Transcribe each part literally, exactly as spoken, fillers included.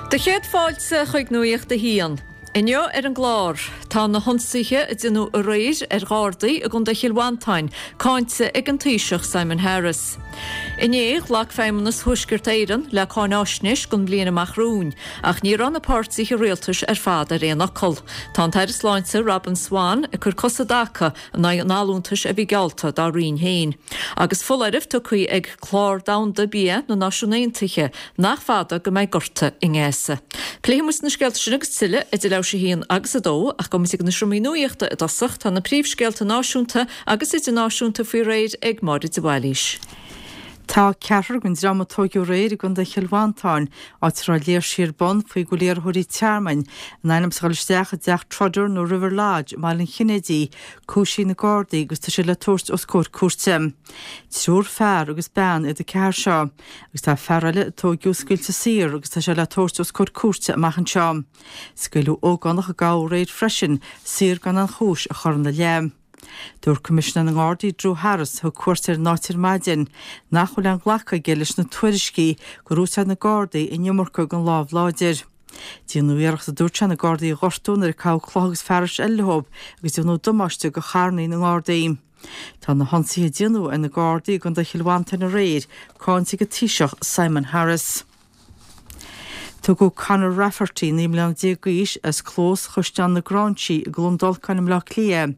Do chéad fáilte chuig Nuacht a hAon. Inniu ar an gclár, tá na hionsaithe a déanadh aréir ar Ghardaí i gContae Chill Mhantáin cáinte ag an Taoiseach Simon Harris. Inné ghlac Feidhmeannas Thuaisceart Éireann le cáinaisnéis don bhliain amach romhainn, ach ní raibh na páirtithe rialtais ar fad ar aon fhocal. Tá an tAire Sláinte Robin Swann ag cur cos i dtaca in aghaidh an allúntais a bhí geallta dá roinn féin. Agus foláireamh tugtha ag Clár Domhanda Bia na Náisiún Aontaithe nach fada go mbeidh gorta i nGaza. Pléifidh muid na scéalta sin agus tuilleadh idir leathuair tar éis a haon agus a dó ach gabhfaidh muid chuig na seomraí nuachta i dtosach tá na príomhscéalta náisiúnta agus idirnáisiúnta faoi réir ag Máire de Bhailís. Tá ceathrar den dream a tóigeadh aréir i gContae Chill Mhantáin, áit a raibh léirsí ar bun faoi go bhfuil iarrthóirí tearmainn in ainm is a dhul isteach i dteach Trotter nó River Lodge i mBaile an Chinnéidigh, cúisithe ag na Gardaí agus tá siad le tabhairt os comhair cúirte. Triúr fear agus bean iad an ceathrar seo, agus tá fear eile a tóigeadh scaoilte saor agus tá sé le tabhairt os comhair cúirte amach anseo. Scaoileadh ógánach a gabhadh aréir freisin saor gan aon chúis a chur ina leith. Dúirt Coimisinéir na nGardaí Drew Harris thug cuairt ar an áit ar maidin nach bhfuil aon ghlacadh aige leis na tuairiscí gur úsáid na Gardaí an iomarca den lámh láidir. Déanadh iarracht a dúirt sé na Gardaí a ghortú nuair a caitheadh clocha agus fearais eile leo agus déanadh damáiste do charranna na nGardaí. Tá na hionsaithe a déanadh ar na Gardaí i gContae Chill Mhantáin aréir cáinte ag an Taoiseach Simon Harris. Tugadh Conor Rafferty naoi mbliana déag d'aois as Clós Chaisleán na Gráinsí i gCluain Dolcáin i mBleá Cliath,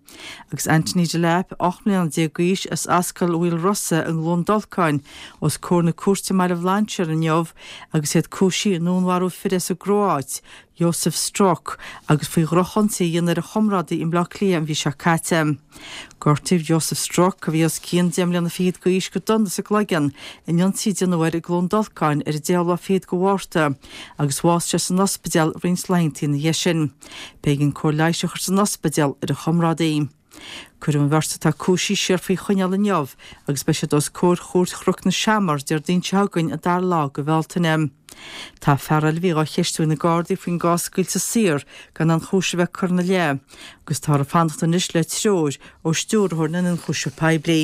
agus Anthony Delap ocht mbliana déag d'aois as Ascaill Mhaoil Rosa i gCluain Dolcáin os comhair na cúirte i mBaile Bhlainséir inniu agus iad cúisithe i ndúnmharú fir as an gCróit, Josef Strok, agus faoi dhrochionsaí a dhéanamh ar a chomrádaí i mBleá Cliath an mhí seo caite. Gortaíodh Josef Strok, a bhí os cionn deich mbliana fichead d'aois, go dona sa gcloigeann in ionsaí a déanadh air i gCluain Dolcáin ar an deichiú lá fichead de Mhárta agus bhásaigh sé san ospidéal roinnt laethanta ina dhiaidh sin. B'éigean cóir leighis a chur san ospidéal ar a chomrádaí. Cuireadh an bheirt atá cúisithe siar faoi choinneáil inniu agus beidh siad os comhair Chúirt Chnoc na Seamar Déardaoin seo chugainn an dara lá de Bhealtaine. Tá fear eile a bhí á cheistiú ag na Gardaí faoin gcás scaoilte saor gan aon chúis a bheith curtha ina leith agus táthar ag fanacht anois le treoir ó Stiúrthóir na nIonchúiseamh Poiblí.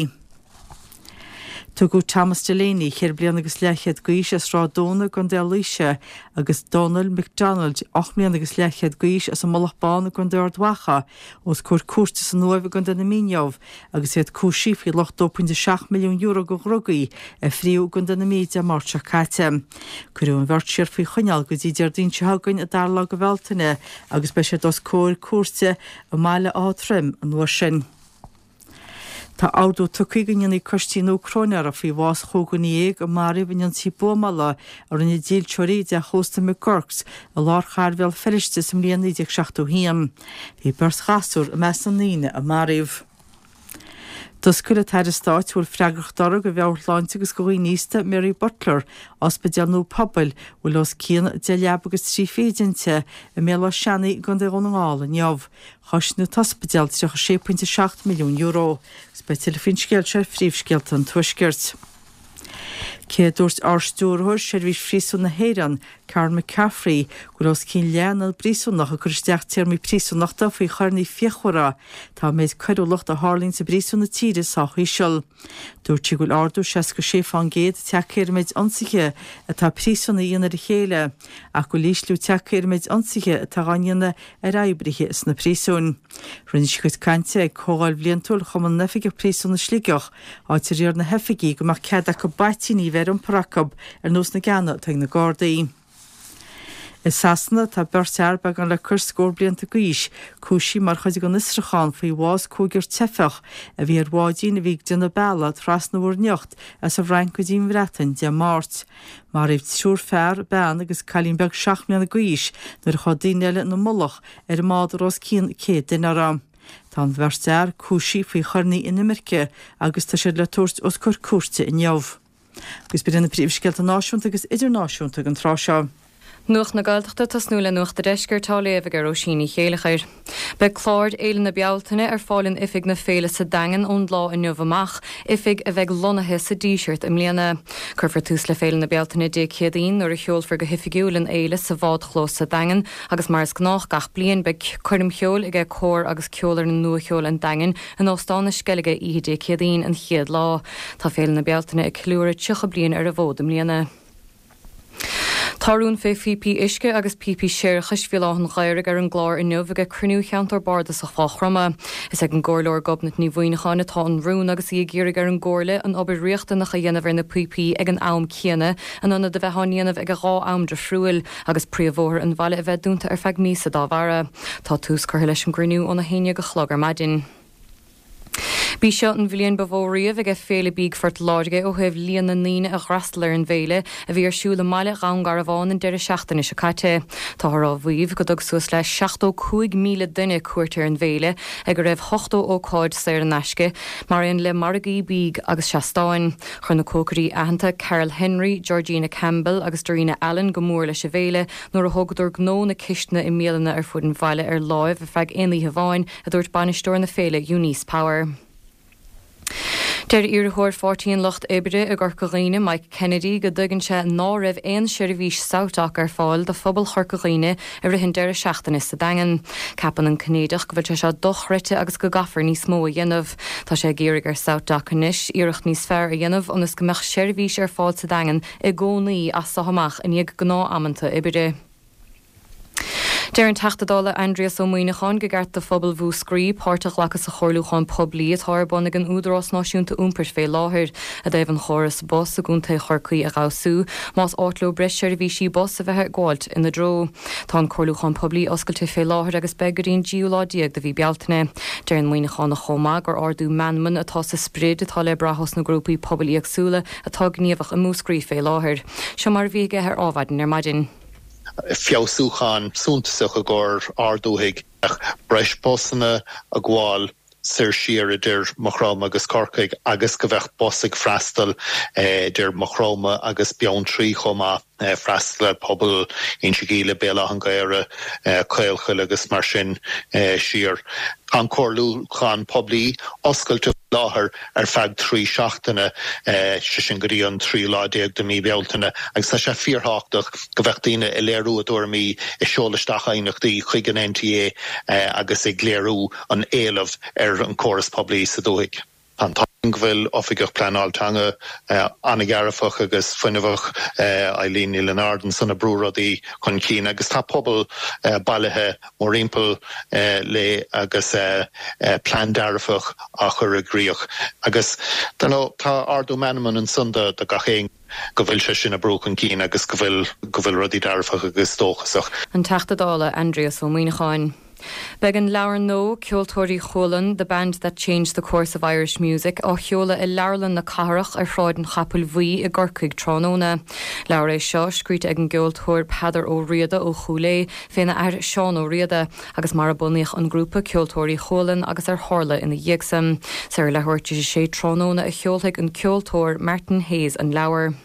Tugadh Thomas Delaney, ceithre bliana agus leathchéad d'aois as Sráid Dúna i gContae Laoise, agus Donald McDonald, ocht mbliana agus leathchéad d'aois as an Mullach Bán i gContae Ard Mhacha, os comhair cúirte san Uaimh i gContae na Mí inniu agus iad cúisithe faoi lucht dó pointe seacht milliún euro de dhrugaí a fríodh i gContae na Mí Dé Máirt seo caite. Cuireadh an bheirt siar faoi choinneáil go dtí Déardaoin seo chugainn, an dara lá de Bhealtaine, agus beidh siad os comhair cúirte i mBaile Átha Troim an uair sin. Tá ordú tugtha go ndéanfaí coistí nua cróinéara faoi bhás chúig dhuine dhéag a maraíodh in ionsaí buamála a rinne dílseoirí i dteach ósta McGurk's i lár chathair Bhéal Feirste sa mbliain naoi déag seachtó a haon. Bhí beirt ghasúr i measc na ndaoine a maraíodh. D'oscail an tAire Stáit a bhfuil freagracht uirthi do mheabhairshláinte agus do dhaoine aosta, Mary Butler, ospidéal nua pobail a bhfuil os cionn deich leaba agus trí fichid inti i mBéal Átha Seanaidh i gContae Dhún na nGall inniu. Choisc an t-ospidéal tríocha sé pointe seacht milliún euro. Agus beidh tuilleadh faoin scéal seo ar phríomhscéalta an Tuaiscirt. Cé a dúirt Ard-Stiúrthóir Sheirbhís Phríosúin na hÉireann, Karen McCaffrey, go bhfuil os cionn leath na bpríosúnach ag cur isteach téarmaí príosúnachta faoi choireanna fíochmhara, tá an méid coiriúlacht a tharlaíonn sa bpríosún na tíre sách íseal. Dúirt sí go bhfuil ardú seasca sé fán gcéad tagtha ar an méid ionsaithe atá príosúnaigh a dhéanamh ar a chéile, ach go bhfuil ísliú tagtha ar an méid ionsaithe atá á ndéanamh ar oibrithe sna príosúin. Rinne sí a cuid cainte ag Comhdháil Bhliantúil Chumann na nOifigeach Príosún i Sligeach, áit ar iarr na hoifigigh go mbeadh cead acu baitíní a bheith ar iompar acu ar nós na gceanna atá ag na Gardaí. I Sasana, tá beirt fhear beagán le cois scór blianta d'aois cúisithe mar chuid den fhiosrúchán faoi bhás cúigear teifeach a bhí ar bháidín a bhí ag déanamh bealaigh trasna Mhuir nIocht as an bhFrainc go dtí an Bhreatain Dé Máirt. Maraíodh triúr fear, bean agus cailín beag seacht mbliana d'aois nuair a chuaigh daoine eile ina mullach ar an mbád a raibh os cionn céad duine uirthi. Tá an bheirt fhear cúisithe faoi choireanna inimirce agus tá siad le tabhairt os comhair cúirte inniu. Agus b'in iad na príomhscéalta náisiúnta agus idirnáisiúnta ag an tráth seo. Nuacht na Gaeltachta ag tosnú le Nuacht an Deiscirt á léamh ag Róisín Ní Chéileachair. Beidh clár Fhéile na Bealtaine ar fáil in oifig na féile sa Daingean ón lá inniu amach, oifig a bheidh lonnaithe sa Díseart i mbliana. Cuirfear tús le Féile na Bealtaine Dé Céadaoin nuair a sheolfar go hoifigiúil an fhéile sa bhádchlós sa Daingean agus mar is gnách gach bliain beidh coirm cheoil ag Cór agus Ceolfhoireann Nua-Cheoil an Daingin in Óstán na Sceilge oíche Dé Céadaoin an chéad lá. Tá Féile na Bealtaine ag ceiliúradh tríocha bliain ar an bhfód i mbliana. Tá rún fé phíopaí uisce agus píopaí séarachais Bhéal Átha an Ghaorthaidh ar an gclár inniu ag cruinniú cheantar bardasach Mhaigh Chromtha. Is ag an gComhairleoir Gobnait Ní Mhuineacháin atá an rún agus í ag iarraidh ar an gComhairle an obair riachtanach a dhéanamh ar na píopaí ag an am céanna in ionad a bheith á ndéanamh ag a dhá am difriúil agus príomhbhóthar an bhaile a bheith dúnta ar feadh míosa dá bharra. Tá tús curtha leis an gcruinniú óna haon déag a chlog ar maidin. B'í seo an bhliain ba mhó riamh ag Féile Bídh Phort Láirge ó thaobh líon na ndaoine a d'fhreastail ar an bhféile a bhí ar siúl i mbaile Dhún Garbhán an deireadh seachtaine seo caite. Táthar á mhaíomh go dtug suas le seachtó cúig míle duine cuairt ar an bhféile ag a raibh ochtó ócáid saor in aisce, mar aon le margaí bídh agus seastáin. Chuir na cócairí aitheanta Carol Henry, Georgina Campbell agus Darina Allen go mór leis an bhféile nuair a thógadar gnó na cistine i mbialanna ar fud an bhaile ar láimh ar feadh aon oíche amháin, a dúirt bainisteoir na féile Eunice Power. Deir iarrthóir Pháirtí an Lucht Oibre i gCorca Dhuibhne Mike Kennedy go dtuigeann sé ná raibh aon seirbhís SouthDoc ar fáil do phobal Chorca Dhuibhne i rith an deireadh seachtaine sa Daingean. Ceapann an Cinnéideach go bhfuil sé seo dochreidte agus go gcaithfear níos mó a dhéanamh. Tá sé ag iarraidh ar SouthDoc anois iarracht níos fearr a dhéanamh ionas go mbeadh seirbhís ar fáil sa Daingean i gcónaí as so amach i ndiaidh gnáthamanta oibre. Deir an Teachta Dála Aindrias Ó Muimhneacháin gur cheart do phobal Mhúscraí páirt a ghlacadh sa chomhairliúchán poiblí atá ar bun ag an Údarás Náisiúnta Iompair fé láthair i dtaobh an chóras bus i gContae Chorcaí a fheabhsú, más áit leo breis seirbhísí bus a bheith ag gabháilt ina dtreo. Tá an comhairliúchán poiblí oscailte fé láthair agus beidh go dtí an tríú lá déag de mhí Bealtaine. Deir an Muimhneachánach chomh maith gur ardú meanman atá sa sprid atá le brath ós na grúpaí pobail éagsúla atá gníomhach i Múscraí fé láthair. Seo mar a bhí aige ar Adhmhaidin ar maidin. feabhsúchán suntasach i gcomhair ár ndúthaigh breis busanna ag gabháil soir siar idir Maigh Chromtha agus Corcaigh agus go bheadh bus ag freastal idir Maigh Chromtha agus Beanntraí chomh maith freastal ar pobal Inse Gíle, Béal Átha an Ghaorthaidh, Caolchoill agus mar sin siar. An comhairliúchán poiblí oscailte láthair ar feadh trí seachtaine sé sin go dtí an tríú lá déag de mhí Bealtaine agus tá sé fíorthábhachtach go bheadh daoine ag léiriú a dtuairimí ag seoladh isteach aighneachtaí chuig an NTA agus ag léiriú an éileamh ar an córas poiblí sa dúthaigh. An go bhfuil oifigeach pleanáil teanga an-dearfach agus fuinneamhach Eileen Ní Lionáird san ag brú rudaí chun cinn agus tá pobal bailithe mórthimpeall léi agus plean dearfach á chur i gcrích agus tá ardú meanman ansan do gach aon go bhfuil sé sin ag brú chun cinn agus go bhfuil go bhfuil rudaí dearfach agus dóchasach. An Teachta Dála Aindrias Ó Muimhneacháin. Beidh an leabhar nua Ceoltóirí Chualann, The Band That Changed the Course of Irish Music á sheoladh i Leabharlann na Cathrach ar Shráid an Chapaill Bhuí i gCorcaigh tráthnóna. Leabhar é seo scríte ag an gceoltóir Peadar Ó Riada ó Chúil Aodha féna athair Seán Ó Riada agus mar a bunaíodh an grúpa Ceoltóirí Chualann agus ar tharla ina dhiaidh san. Ar leathuair tar éis a sé tráthnóna a sheolfaidh an ceoltóir Martin Hayes an leabhar.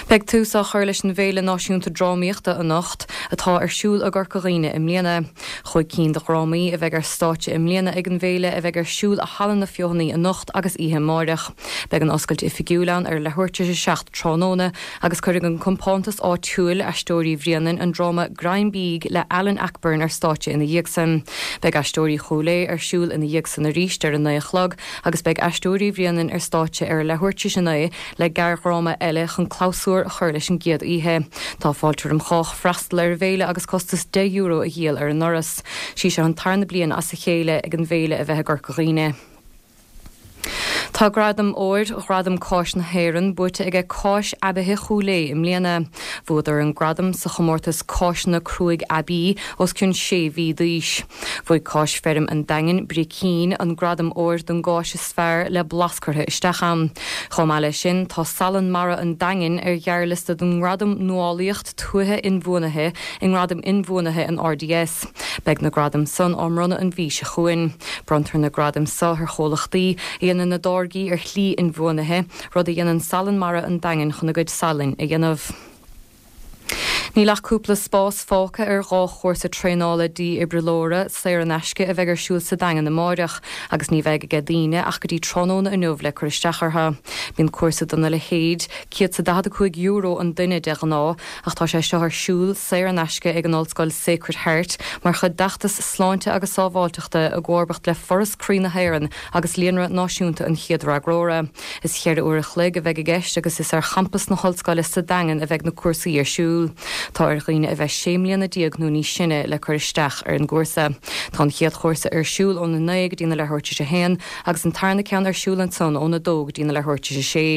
Beidh tús á chur leis an bhFéile Náisiúnta Drámaíochta anocht atá ar siúl i gCorca Dhuibhne i mbliana. Cúig cinn de dhrámaí a bheidh ar stáitse i mbliana ag an bhféile a bheidh ar siúl i Halla na Feothanaí anocht agus oíche amárach. Beidh an oscailt oifigiúil ann ar leathuair tar éis a seacht tráthnóna agus cuirfidh an compántas áitiúil Aisteoirí Bhréanainn an dráma Greim Bídh le Alan Ayckbourn ar stáitse ina dhiaidh san. Beidh Aisteoirí Chúil Aodha ar siúl ina dhiaidh san arís ar a naoi a chlog agus beidh Aisteoirí Bhréanainn ar stáitse ar leathuair tar éis a naoi le gearrdhráma eile chun clabhsúr a chur leis an gcéad oíche. Tá fáilte roimh chách freastal ar an bhféile agus costas deich euro a dhíol ar an ndoras. Sí seo an tarna bliain as a chéile ag an bhféile a bheith i gCorca Dhuibhne. Tá gradam óir Ghradam Cáis na hÉireann buaite aige Cáis Aibithe Chúil Aodha i mbliana. Bhuadar an gradam sa chomórtas Cáiseanna Cruaidh Aibí os cionn sé mhí d'aois. Bhuaigh Cáis Feirm an Daingin Bricín an gradam óir don gcáis is fearr le blas curtha isteach ann. Chomh maith leis sin tá Salann Mara an Daingin ar ghearrliosta don ngradam Nuálaíocht Tuaithe Inbhuanaithe i ngradam inbhuanaithe an RDS. Beidh na gradaim san á mbronnadh an mhí seo chugainn. Bronntar na gradaim seo ar chomhlachtaí a dhéanann a dtáirgí ar shlí inbhuanaithe, rud a dhéanann Salann Mara an Daingin chun a gcuid salainn a dhéanamh. Níl ach cúpla spás fágtha ar dhá chúrsa traenála dífhibrileora saor in aisce a bheidh ar siúl sa Daingean amáireach, agus ní bheidh aige daoine ach go dtí tráthnóna inniu le cur isteach orthu. Bíonn cúrsa dona leithéid céad is daichead a cúig euro an duine de ghnáth, ach tá sé seo ar siúl saor in aisce ag an Ollscoil Sacred Heart mar chuid d'fheachtas sláinte agus sábháilteachta i gcomharbacht le Foras Croí na hÉireann agus Líonra Náisiúnta an Chéad Fhreagróra. Is cheithre uair a chloig a bheidh i gceist agus is ar champas na hollscoile sa Daingean a bheidh na cúrsaí ar siúl. Tá ar dhaoine a bheith sé mbliana déag nó níos sine le cur isteach ar an gcúrsa. Tá an chéad chúrsa ar siúl óna naoi go dtí na leathuair tar éis a haon agus an tarna ceann ar siúl ansan óna dó go dtí na leathuair tar éis a sé.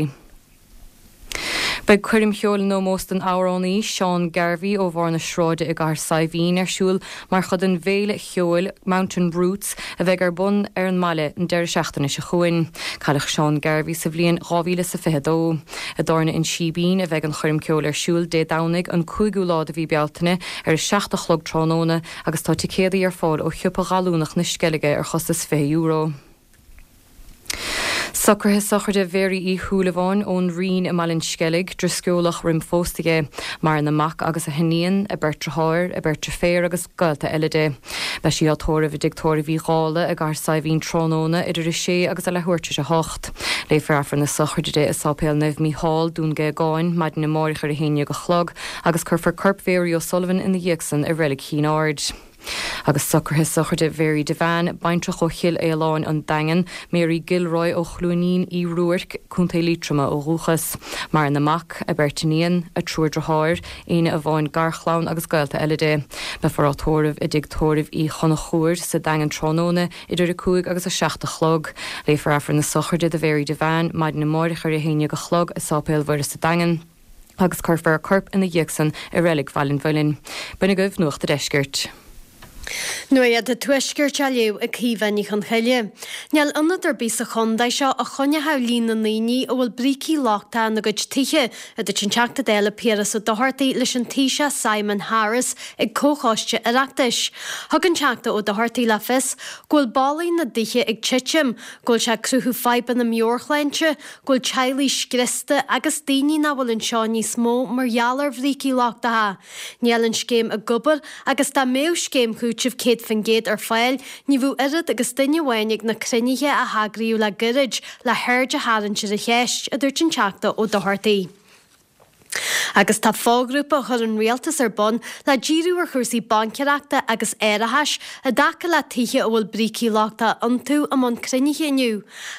Beidh coirm cheoil in ómós don amhránaí Seán Garvey ó Bharr na Sráide i gCathair Saidhbhín ar siúl mar chuid den bhféile cheoil Mountain Roots a bheidh ar bun ar an mbaile an deireadh seachtaine seo chugainn. Cailleadh Seán Garvey sa bhliain dhá mhíle is a fiche dó. I dTábhairne an Síbín a bheidh an choirm ceoil ar siúl Dé Domhnaigh an cúigiú lá de mhí Bealtaine ar a seacht a chlog tráthnóna agus tá ticéadaí ar fáil ó Shiopa Ghallúnach na Sceilge ar chostas fiche euro. Socruithe sochraide Mhary Uí Shúilleabháin ón Rinn i mBaile an Sceilg, Drisceolach roim phósta di. Maireann a mac agus a hiníon, a beirt deartháir, a beirt deirféar agus gaolta eile di. Beidh sí á tórramh i dTigh Tórraimh Uí Dhálaigh i gCathair Saidhbhín tráthnóna idir a sé agus a leathuair tar éis a hocht. Léifear Aifreann na sochraide di i Sáipéal Naomh Mícheál, Dún Géagáin, maidin amáireach ar a haon déag a chlog agus cuirfear corp Mhary O'Sullivan ina dhiaidh san i Reilig Chinn Aird. Agus socruithe sochraide Mhary Devane, baintreach ó Chill Aoláin, An Daingean, Mary Gilroy ó Chluainín Uí Ruairc, Contae Liatroma ó dhúchas. Maireann a mac, a beirt iníon, a triúr deartháir, éinne amháin garchlann agus gaolta eile di. Beifear á tórramh i dTigh Tórraimh Uí Chonchúir sa Daingean tráthnóna idir a cúig agus a seacht a chlog. Léifear Aifreann na sochraide do Mhary Devane maidin amáireach ar a haon déag a chlog i Sáipéal Mhuire sa Daingean agus cuirfear a corp ina dhiaidh san i Reilig Bhaile an Mhuilinn. B'in agaibh Nuacht a' Deiscirt. Nuacht an Tuaiscirt á léamh ag Caoimhe Ní Chonchoille. Níl ionad ar bith sa chontae seo a choinneodh líon na ndaoine a bhfuil brící lochtacha ina gcuid tithe, a dúirt an Teachta Dála Piaras Ó Dochartaigh leis an Taoiseach Simon Harris ag Comhchoiste Oireachtais. Thug an Teachta Ó Dochartaigh le fios go bhfuil ballaí na dtithe ag titim, go bhfuil sé ag cruthú fadhbanna meabhairshláinte, go bhfuil teaghlaigh scriosta agus daoine nach bhfuil anseo níos mó mar gheall ar bhrící lochtacha. Níl an scéim ag obair agus dá mbeadh scéim chúitimh céad faoin gcéad ar fáil, ní bheadh oiread agus duine amháin ag na cruinnithe a heagraíodh le gairid le haird a tharraingt ar an cheist, a dúirt an Teachta Ó Dochartaigh. Agus tá foghrúpa a chuir an rialtas ar bun le díriú ar chúrsaí baincéireachta agus árachais i dtaca le tithe a bhfuil brící lochtacha iontu i mbun cruinnithe inniu.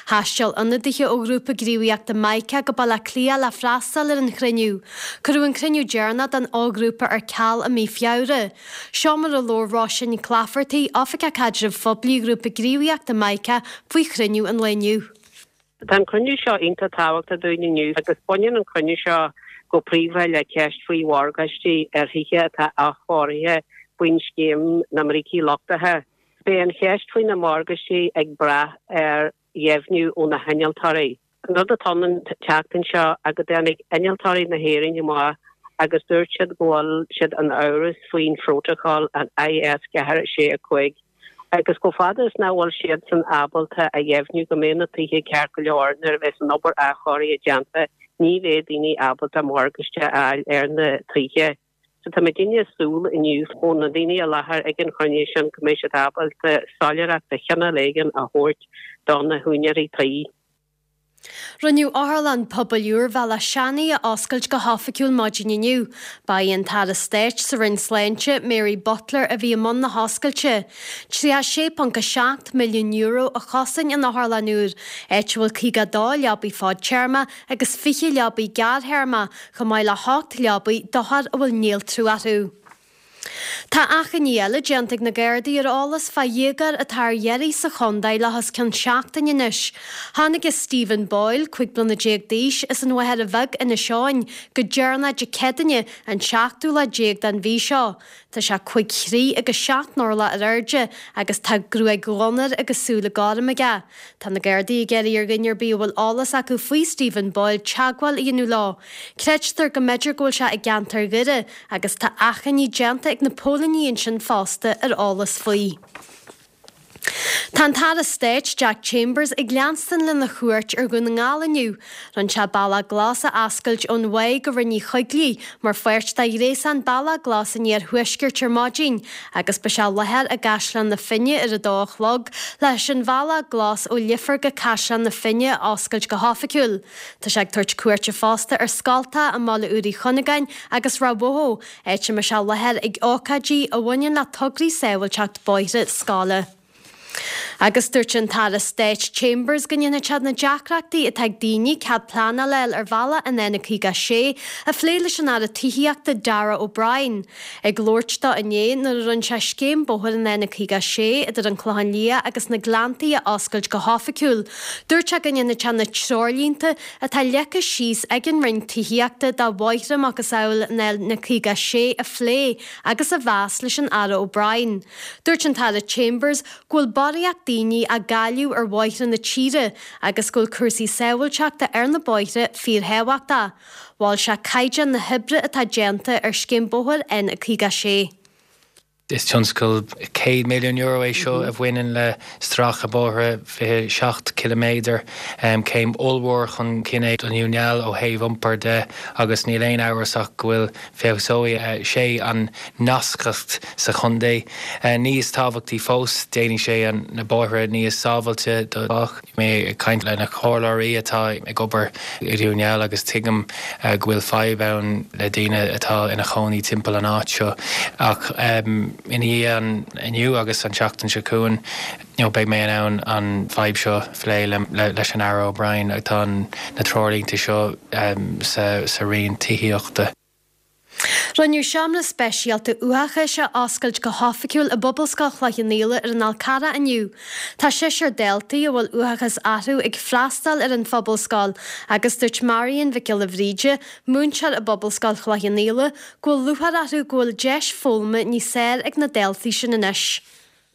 Thaistil ionadaithe ó ghrúpa gníomhaíochta Mica go Baile Átha Cliath le freastal ar an chruinniú. Cuireadh an cruinniú deireanach den fhoghrúpa ar ceal i mí Feabhra. Seo mar a labhair Róisín Nic Laifeartaigh, Oifigeach Caidrimh Phoiblí Ghrúpa Gníomhaíochta Mica, faoi chruinniú an lae inniu. Tá an cruinniú seo iontach tábhachtach dúinn inniu agus baineann an cruinniú seo go príomha le ceist faoi mhorgáistí ar thithe atá athchóirithe faoin scéim na mbrící lochtacha. Beidh an cheist faoi na morgáistí ag brath ar dheimhniú ó na hinnealtóirí. An rud atá ann an tseachtain seo ná go dtáinig innealtóirí na hÉireann amach agus dúirt siad go bhfuil siad in amhras faoin phrótacal an I S ceathair sé a cúig agus chomh fada is nach bhfuil siadsan ábalta a dheimhniú go mbeidh na tithe ceart go leor nuair a bheas an obair athchóirithe déanta, ní bheidh daoine ábalta morgáiste a fháil ar na tithe. So tá muidinne ag súil inniu ó na daoine i láthair ag an chruinniú sin go mbeidh siad ábalta soiléireacht de chineál éigin a thabhairt do na húinéirí tí. Rinneadh Otharlann Pobail úr Bhealach Seanaidh a oscailt go hoifigiúil maidin inniu. Ba í an tAire Stáit sa Roinn Sláinte, Mary Butler, a bhí i mbun na hoscailte. Tríocha sé ponc a seacht milliún euro a chosain an otharlann úr, áit a bhfuil caoga dó leabaí fadtéarma agus fiche leabaí gearrthéarma, chomh maith le hocht leabaí d'othair a bhfuil néaltrú orthu. Tá achainí eile déanta ag na Gardaí ar eolas fá dhéagóir atá ar iarraidh sa chontae le hos cionn seachtain anois. Tháinig Stephen Boyle, cúig bliana déag d'aois, as an Mhachaire Bheag, Inis Eoghain, go deireanach Dé Céadaoine, an seachtú lá déag den mhí seo. Tá sé cúig throigh agus seacht n-orlach ar airde agus tá gruaig dhonn air agus súile gorm aige. Tá na Gardaí ag iarraidh ar dhuine ar bith a bhfuil eolas acu faoi Stephen Boyle teagmháil a dhéanamh leo. Creidtear go mb'fhéidir go bhfuil sé i gceantar Dhoire agus tá achainí déanta ag na póilíní ansin fosta ar eolas faoi. Tá an tAire Stáit Jack Chambers ag leanstan lena chuairt ar Dhún na nGall inniu. Rinne sé Bealach Glas a oscailt ón Mhaigh go Rinn Uí Choigligh mar pháirt de ghréasán Bealach Glas an Iarthuaiscirt ar maidin agus beidh sé i láthair i gCaisleán na Finne ar a dó a chlog leis an Bhealach Glas ó Leifear go Caisleán na Finne a oscailt go hoifigiúil. Tá sé ag tabhairt cuairte fosta ar scoltacha i mBaile Úr Uí Chuinneagáin agus Ráth Bhoth, áit a mbeidh sé i láthair ag ócáidí a bhaineann le tograí sábháilteacht bóithre scoile. Agus dúirt an tAire Stáit Chambers go ndéanfaidh sé na deacrachtaí atá ag daoine cead pleanála a fháil ar bhealach an N caoga a sé a phlé leis an Aire Tithíochta Darragh O'Brien. Ag labhairt dó inné nuair a rinne sé scéim bóthair an N caoga a sé idir an Clochán Liath agus na Gleanntaí a oscailt go hoifigiúil, dúirt sé go ndéanfaidh sé na treoirlínte atá leagtha síos ag an Roinn Tithíochta do bhóithre macasamhail an N caoga a sé a phlé agus a mheas leis an Aire O'Brien. Dúirt an tAire Chambers go bhfuil barraíocht daoine á gcailleadh ar bhóithre na tíre agus go bhfuil cúrsaí sábháilteachta ar na bóithre fíorthábhachtach. Mhol sé caighdeán na hoibre atá déanta ar scéim bóthair N caoga a sé. Is tionscal céad milliún euro é seo a bhaineann le stracadh bóithre fiche seacht ciliméadar, céim ollmhór chun cinn é do Dhún na nGall ó thaobh iompair de agus níl aon amhras ach go bhfuil feabhsóidh sé an nascacht sa chontae. Níos tábhachtaí fós, déanfaidh sé na bóithre níos sábháilte do chách. Mé ag caint le na comhairleoirí atá ag obair i Dún na nGall agus tuigim go bhfuil fadhb ann le daoine atá ina chónaí timpeall an áit seo ach ina dhiaidh an inniu agus an tseachtain seo chugainn you know, beidh mé in ann an fadhb seo phlé leis an Aire O'Brien. Tá na treoirlínte seo sa sa Roinn Tithíochta. Rinneadh seomra speisialta uathachais a oscailt go hoifigiúil i bPobalscoil Chloich Cheann Fhaola ar an Fhál Carrach inniu. Tá seisear daltaí a bhfuil uathachas orthu ag freastal ar an phobalscoil agus dúirt Marion Mhic Giolla Bhríde, múinteoir i bPobalscoil Chloich Cheann Fhaola, go bhfuil lúcháir orthu go bhfuil deis foghlama níos fearr ag na daltaí sin anois.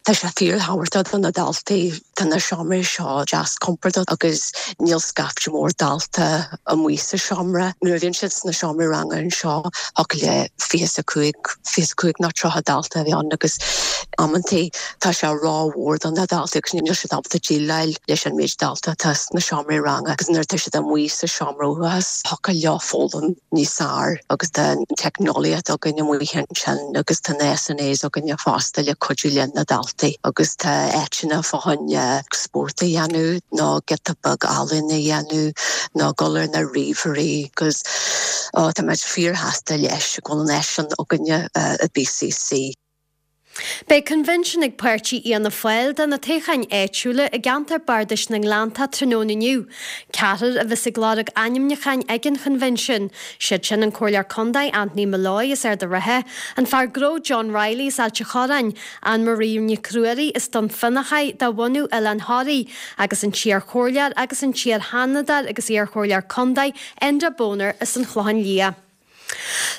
Tá sé fíorthábhachtach do na daltaí. Tá na seomraí seo deas compordach agus níl scaifte mór dalta amuigh sa seomra. Nuair a bhíonn siad sna seomraí ranga anseo thiocfadh le fiche a cúig, fiche a cúig nó tríocha dalta a bheith ann agus amantaí tá sé rómhór do na daltaí agus níl siad ábalta déileáil leis an méid dalta atá sna seomraí ranga agus nuair atá siad amuigh sa seomra uathachais thiocfadh leo foghlaim níos fearr agus tá an teicneolaíocht againn amuigh ansin agus tá na SNAs againne fosta le cuidiú le na daltaí agus tá áiteanna fá choinne spórt a dhéanamh nó giota beag ealaín a dhéanamh nó dul ar na ríomhairí agus ó tá muid fíorshásta leis go bhfuil an áis sin againne i B C C. Beidh coinbhinsiún ag páirtí Fhianna Fáil do na toghcháin áitiúla i gceantar Bardais na nGleannta tráthnóna inniu. Ceathrar a bheas ag lorg ainmniúcháin ag an choinbhinsiún. Siad sin an Comhairleoir Contae Anthony Molloy as Ard an Rátha, an fear gnó John Reilly as Ailt an Chorráin, Anne Marie Nic Ruairí as Dún Fionnachaidh de bhunadh Oileán Thoraí, agus an t-iarchomhairleoir agus an t-iar-sheanadóir agus iarchomhairleoir contae Enda Boner as an Chlochán Liath.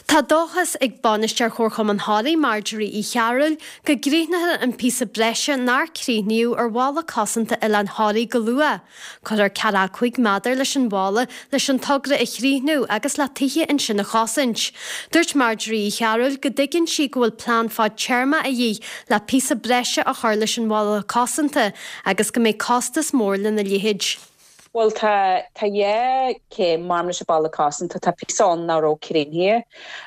Tá dóchas ag bainisteoir Chomharchumann Thoraí Marjorie Uí Chearúil go gcríochnófar an píosa breise nár críochnaíodh ar bhalla cosanta Oileán Thoraí go luath. Cuirfear ceathracha cúig méadar leis an bhalla leis an togra a chríochnú agus le tithe ansin a chosaint. Dúirt Marjorie Uí Chearúil go dtuigeann sí go bhfuil plean fadtéarma a dhíth le píosa breise a chur leis an bhalla cosanta agus go mbeidh costas mór lena leithéid. Well tá tá dhá chéim mar leis an balla cosanta. Tá píosa ann nach raibh críochnaithe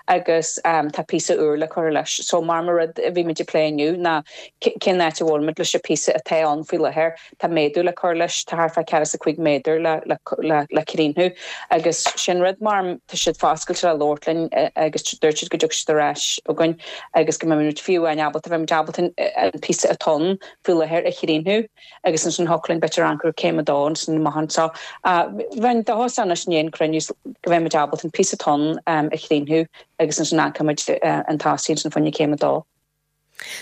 agus um, tá píosa úr le cur leis. So mar mar rud a bhí muid ag plé inniu ná cén áit a bhfuil leis an píosa atá ann faoi láthair. Tá méadú le cur leis, tá thart fá ceathracha is a cúig méadar le le le, le críochnú agus sin rud mar tá siad foscailte le labhairt linn agus dúirt siad go dtiocfaidh siad ar ais chugainn agus go mbeimid fiú amháin ábalta bheith ábalta an píosa atá ann faoi láthair a chríochnú agus ansin thiocfadh linn b'fhéidir an chéim a dó san mahan so bheinn dóchasach anois in aon cruinniú go bheimid ábalta an píosa atá ann a chríochnú agus ansin an an tosaí san fá choinne céim a dó.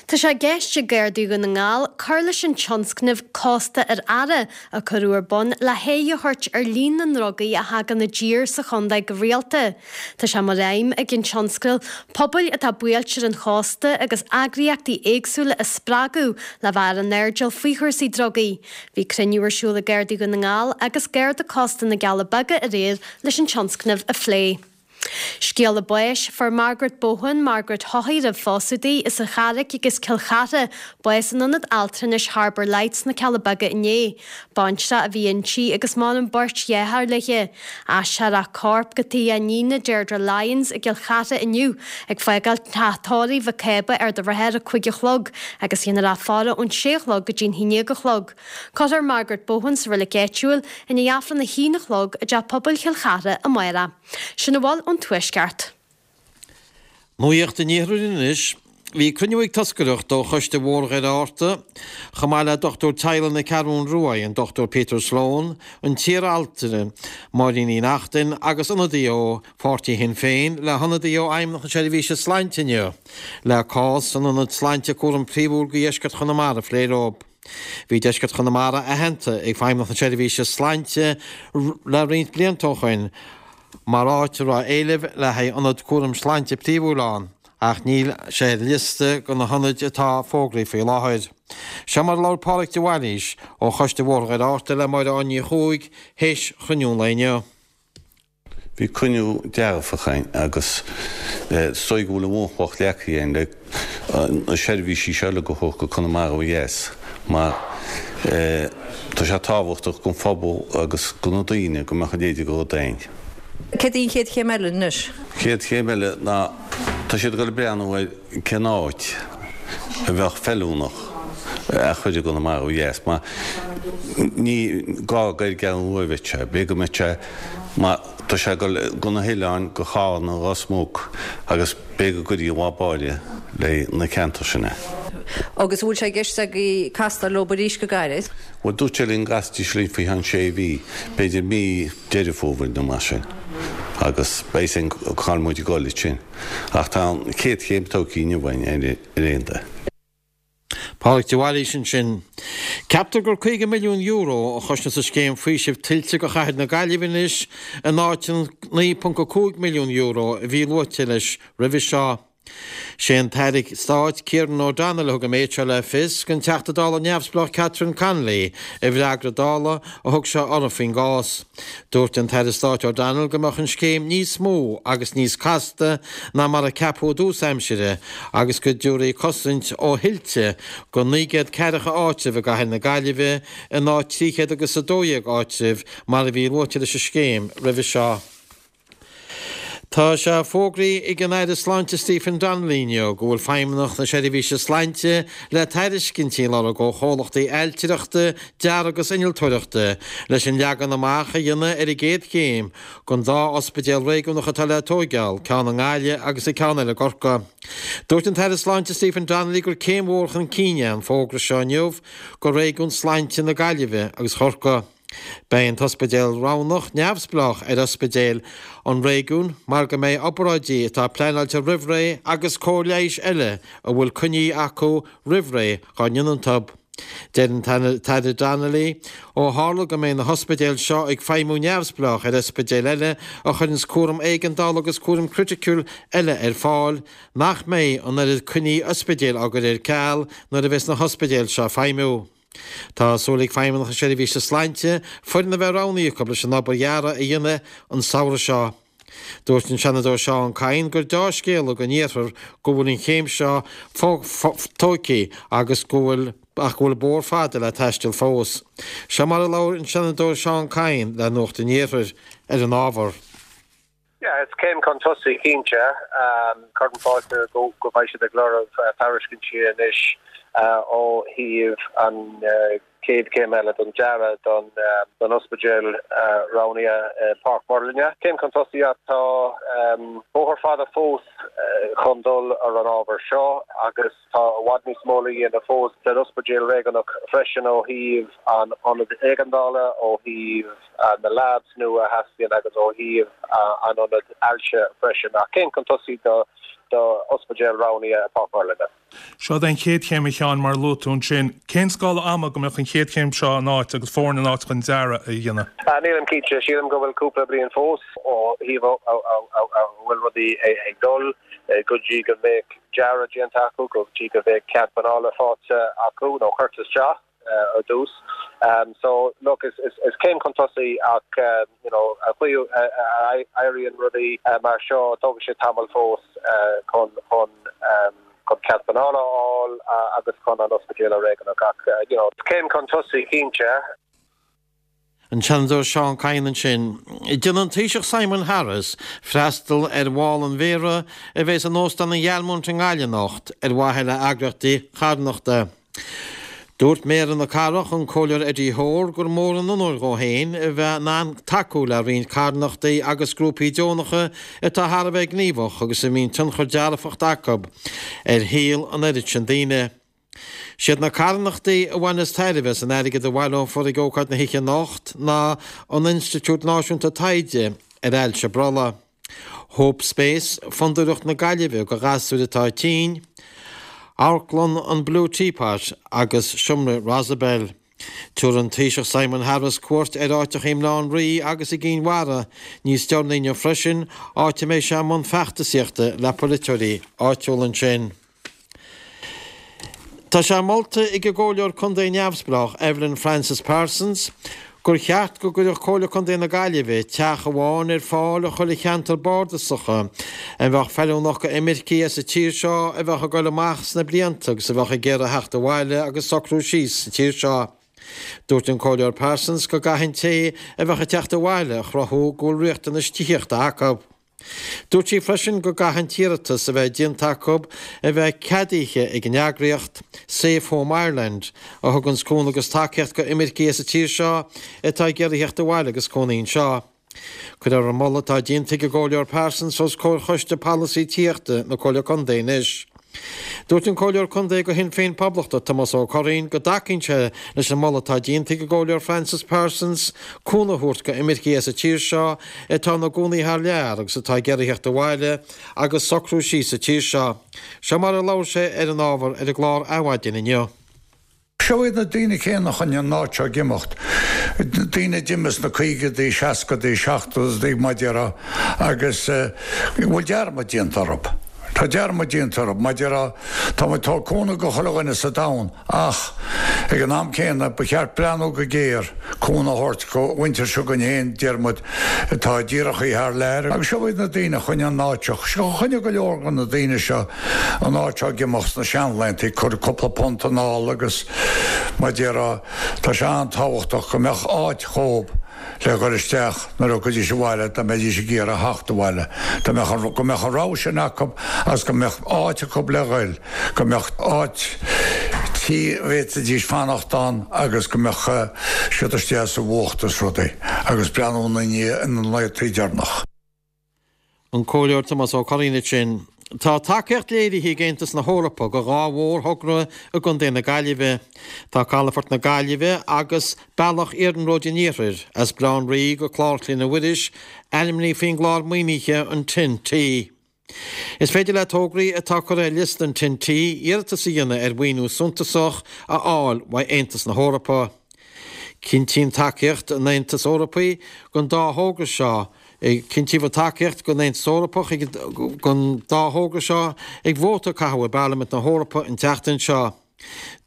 Tá sé i gceist ag Gardaí Dhún na nGall cur leis an tionscnamh Cósta ar Aire a cuireadh ar bun le haghaidh a thabhairt ar líon na ndrugaí a thagann i dtír sa chontae go rialta. Tá sé mar aidhm ag an tionscadal pobail atá buailte ar an chósta agus eagraíochtaí éagsúla a spreagadh le bheith ar an airdeall faoi chúrsaí drugaí. Bhí cruinniú ar siúl ag Gardaí Dhún na nGall agus Garda Cósta na gCealla Beaga aréir leis an tionscnamh a phlé. Scéala báis, Fuair Margaret Bohan, Margaret Haughey roimh phósadh di, as an Charraic agus Cill Chartha, bás in Ionad Altranais Harbour Lights sna Cealla Beaga inné. Baintreach a bhí inti agus maireann beirt dheartháir léi. Aistreofar a corp go tigh a iníne Deirdre Lyons i gCill Chartha inniu, ag fágáil teach tórraimh Mhic Cába Ard an Rátha ar a cúig a chlog agus dhéanfar a faire ón sé a chlog go dtí'n haon déag a chlog. Cuirfear Margaret Bohan sa reilig áitiúil i ndiaidh Aifreann a haon a chlog i dTeach Pobail Chill Chartha amárach. Sin a bhfuil ón Tuaisceart. Nuacht an Iarthair anois. Bhí cruinniú ag toscaireacht ó Choiste Bhóthar Dhoire Fhearta, chomh maith le dochtúir teaghlaigh na Ceathrún Rua, an Dochtúir Peter Sloane, an t-iar-altra Máirín Uí Neachtain agus ionadaí ó pháirtí Shinn Féin le hionadaí ó Fheidhmeannacht na Seirbhíse Sláinte inniu le cás an Ionaid Sláinte Cúram Príomhúil do Dheisceart Chonamara a phlé leo. Bhí deisceart Chonamara aitheanta ag Feidhmeannacht na Seirbhíse Sláinte le roinnt blianta ó shoin mar áit a raibh éileamh le haghaidh ionad cúram sláinte príomhúil ann, ach níl sé ar liosta de na hionaid atá fógraithe faoi láthair. Seo mar a labhair Pádraig de Bhailís ó Choiste Bhóthar Dhoire Fhearta le Máire Áine Ní Chuaig théis chruinniú an lae inniu. Bhí cruinniú dearfach againn agus is dóigh go bhfuil an bhunchloch leagtha againn le na seirbhísí seo uilig a thabhairt go Conamara ó dheas mar tá sé tábhachtach don phobal agus do na daoine go mbeadh a leithéid de rud againn. Céard í an chéad chéim eile anois? Chéad chéim eile ná tá siad ag dul ag breathnú ar cén áit a bheadh feiliúnach a chur i gConamara ó dheas mar ní gá gur ar an gCeathrú Rua a bheadh sé, b'fhéidir go mbeadh sé mar tá sé ag dul go na hoileáin, go Carna, Ros Muc agus b'fhéidir go gcuirfí i bhfad báire le na ceantair sin é. Agus an bhfuil sé i gceist agaibh castáil leo arís go gairid? Bhuel, dúirt sé linn go gcasfaidís linn faoi cheann sé mhí, b'fhéidir mí Deireadh Fómhair nó mar sin, agus beidh a fhios againn cá bhfuil muid ag dul ansin. Ach tá an chéad chéim tógtha inniu againn ar aon dóigh. Pádraig de Bhailís ansin. Ceaptar gur caoga milliún euro a chosnós an scéim faoisimh tuilte do chathair na Gaillimhe anois in áit an naoi ponc a cúig milliún euro a bhí luaite leis roimhe seo. Sé an tAire Stáit Kieran O'Donnell a thug an méid seo le fios don Teachta Dála neamhspleách Catherine Connolly i bhfreagra Dála a thug sé uirthi faoin gcás. Dúirt an tAire Stáit O'Donnell go mbeadh an scéim níos mó agus níos casta ná mar a ceapadh i dtús aimsire agus go dtabharfaí cosaint ó thuilte go naoi gcéad ceathracha áitreabh i gcathair na Gaillimhe in áit trí chéad agus a dó dhéag áitreabh mar a bhí luaite leis an scéim roimhe seo. Tá sé fógraithe ag an Aire Sláinte Stephen Donnelly inniu go bhfuil Feidhmeannacht na Seirbhíse Sláinte le tairiscintí a lorg ó chomhlachtaí ailtireachta, dearaidh agus innealtóireachta leis an leagan amach a dhéanamh ar an gcéad chéim den dá ospidéal réigiúnach atá le tóigeáil, ceann i nGaillimh agus an ceann eile i gCorcaigh. Dúirt an tAire Sláinte Stephen Donnelly gur céim mhór chun cinn é an fógra seo inniu do réigiún sláinte na Gaillimhe agus Chorcaí. Beidh an t-ospidéal roghnach neamhspleách ar ospidéil an réigiúin mar go mbeidh obráidí atá pleanáilte roimh ré agus cóir leighis eile a bhfuil coinní acu roimh ré dhá ndéanamh iontu. Deir an tAire Donnelly, ó tharla go mbeidh na hospidéil seo ag feidhmiú neamhspleách ar ospidéil eile a chuireanns cúram éigeandála agus cúram criticiúil eile ar fáil, nach mbeidh an oiread coinní ospidéil á gcur ar ceal nuair a bheas na hospidéil seo ag feidhmiú. Tá súil ag Feidhmeannacht na Seirbhíse Sláinte foireann a bheith roghnaithe acu leis an obair dhearaidh a dhéanamh an samhradh seo. Dúirt an Seanadóir Seán Kyne gur deá-scéala don iarthar go bhfuil an chéim seo tógtha agus go bhfuil ach go bhfuil bóthar fada le taisteal fós. Seo mar a labhair an Seanadóir Seán Kyne le Nuacht an Iarthair ar an ábhar. Yeah, is céim chun tosaigh cinnte. Cuirim fáilte go go mbeidh siad ag lorg tairiscintí anois ó thaobh an chéad chéim eile don dearadh don don ospidéal roghnaithe i Páirc Mhuirlinne. Céim chun tosaigh ach tá bóthar fada fós chun dul ar an ábhar seo agus tá i bhfad níos mó le dhéanamh fós san ospidéal réigiúnach freisin ó thaobh an ionad éigeandála, ó thaobh na labs nua a theastaíonn agus ó thaobh an ionad ailse freisin. Ach céim chun tosaigh do do ospidéal roghnaithe i Páirc Mhuirlinne. Seo é an chéad chéim a Sheáin mar a luaigh tú ansin. Cén scála ama go mbeadh an chéad chéim seo in áit agus foireann in áit chun dearadh a dhéanamh? Nílim cinnte. Sílim go bhfuil cúpla bliain fós ó thaobh a bhfuil rudaí ag dul go dtí go mbeidh dearadh déanta acu, go dtí go mbeidh cead pleanála faighte acu nó curtha isteach. ar dtús. Um, so look is, is, is céim chun tosaigh ach um, you know, a chaoi a éiríonn rudaí uh, mar seo tógann sé tamall fós uh, chun chun um, chun cead pleanála a fháil uh, agus chun an ospidéal a réigeach ach uh, you know, céim chun tosaigh cinnte. An Seanadóir Seán Kyne ansin. Déanfaidh an Taoiseach Simon Harris freastal ar bhál an mhéara a bheas in Óstán an Ghealmount i nGaillimh anocht ar mhaithe le heagraíochtaí carthanachta. Dúirt Méara na Cathrach an Comhairleoir Eddie Hoare gur mór an onóir dhó féin a bheith in ann tacú le roinnt carthanachtaí agus grúpaí deonacha atá thar a bheith gníomhach agus a mbíonn tionchar dearfach acu ar shaol an oiread sin daoine. Siad na carthanachtaí a bhaineas tairbhe as an airgead a bhaileofar ag ócáid na hoíche anocht ná an Institiúid Náisiúnta Taighde ar Ailse Brollaigh, Hope Space, Fondúireacht na Gaillimhe do ghasúir atá tinn, Amharclann an Blue Teapot agus Seomra Rosabel. Tabharfaidh an Taoiseach Simon Harris cuairt ar áiteacha i mBaile Átha an Rí agus i gCinn Mhara níos deireanaí inniu freisin, áit a mbeidh sé i mbun feachtasaíochta le polaiteoirí áitiúla ansin. Tá sé molta ag an gComhairleoir Contae neamhspleách Evelyn Frances Parsons gur cheart go gcuirfeadh Comhairle Contae na Gaillimhe teach amháin ar fáil i chuile cheantar bardasach a bheadh feiliúnach go imircigh as an tír seo a bheadh ag dul amach sna blianta agus a bheadh ag iarraidh theacht abhaile agus socrú síos sa tír seo. Dúirt an Comhairleoir Parsons go gcaithfidh an té a bheadh ag teacht abhaile a chruthú go bhfuil riachtanais tithíochta acu. Dúirt sí freisin go gcaithfidh an t-iarratas a bheith déanta acu a bheith ceadaithe ag an eagraíocht Safe Home Ireland, a thuganns cúnamh agus tacaíocht go imircigh as an tír seo atá ag iarraidh theacht abhaile agus cónaí anseo. Cuirfear an moladh atá déanta ag an gComhairleoir Parsons os comhair Choiste Polasaí Tithíochta na Comhairle Contae anois. Dúirt an Comhairleoir Contae do Shinn Féin Poblachtach, Tomás Ó Curraoin, go dtacaíonn sé leis an moladh atá déanta ag an gComhairleoir Frances Parsons cúnamh a thabhairt go imircigh as an tír seo atá ina gcónaí thar lear agus atá ag iarraidh theacht abhaile agus socrú síos sa tír seo. Seo mar a labhair sé ar an ábhar ar an gclár Adhmhaidin inniu. Seo iad na daoine céanna a choinnigh an áit seo ag imeacht, daoine a d'imigh sna caogaidí, seascaidí, seachtóidí, mar a déarfá, agus bhfuil dearmad déanta orthu. Tá dearmad déanta orthu, mar a déarfá, tá muid ag tabhairt cúnamh go chuile dhuine sa domhan ach ag an am céanna ba cheart breathnú go géar cúnamh a thabhairt go mhuintir seo againn féin, deir muid, atá díreach thar lear. Agus seo iad na daoine a choinnigh an áit seo, choinnigh go leor de na daoine seo an áit seo ag imeacht sna seanlaethanta, ag cur cúpla punt anall agus mar a déarfá, tá sé an-tábhachtach go mbeadh áit dhóibh le dhul isteach nuair a thiocfaidís abhaile, dá mbeidís ag iarraidh theacht abhaile, dá mbeadh an, go mbeadh an rogha sin acu agus go mbeadh áit acu le dhul, go mbeadh áit tí a bhféadfaidís fanacht ann agus go mbeadh siad istigh as an bhfuacht is rudaí agus breathnú ina ndiaidh ina laethanta deireanach. An Comhairleoir Tomás Ó Curraoin ansin. Tá tacaíocht léirithe ag Aontas na hEorpa go dhá mhórthogra i gContae na Gaillimhe. Tá Calafort na Gaillimhe agus Bealach Iarnróid an Iarthair as Baile Átha an Rí go Clár Chlainne Mhuiris ainmnithe faoin gclár maoinithe an TEN-T. Is féidir le tograí atá curtha ar liosta an TEN-T iarratas a dhéanamh ar mhaoiniú suntasach a fháil uaidh Aontas na hEorpa. Cinntíonn tacaíocht an Aontais Eorpaigh don dá thogra seo Cinntíodh tacaíocht don Aontas Eorpach don dá thogra seo ag vóta a caitheadh i bParlaimint na hEorpa an tseachtain seo.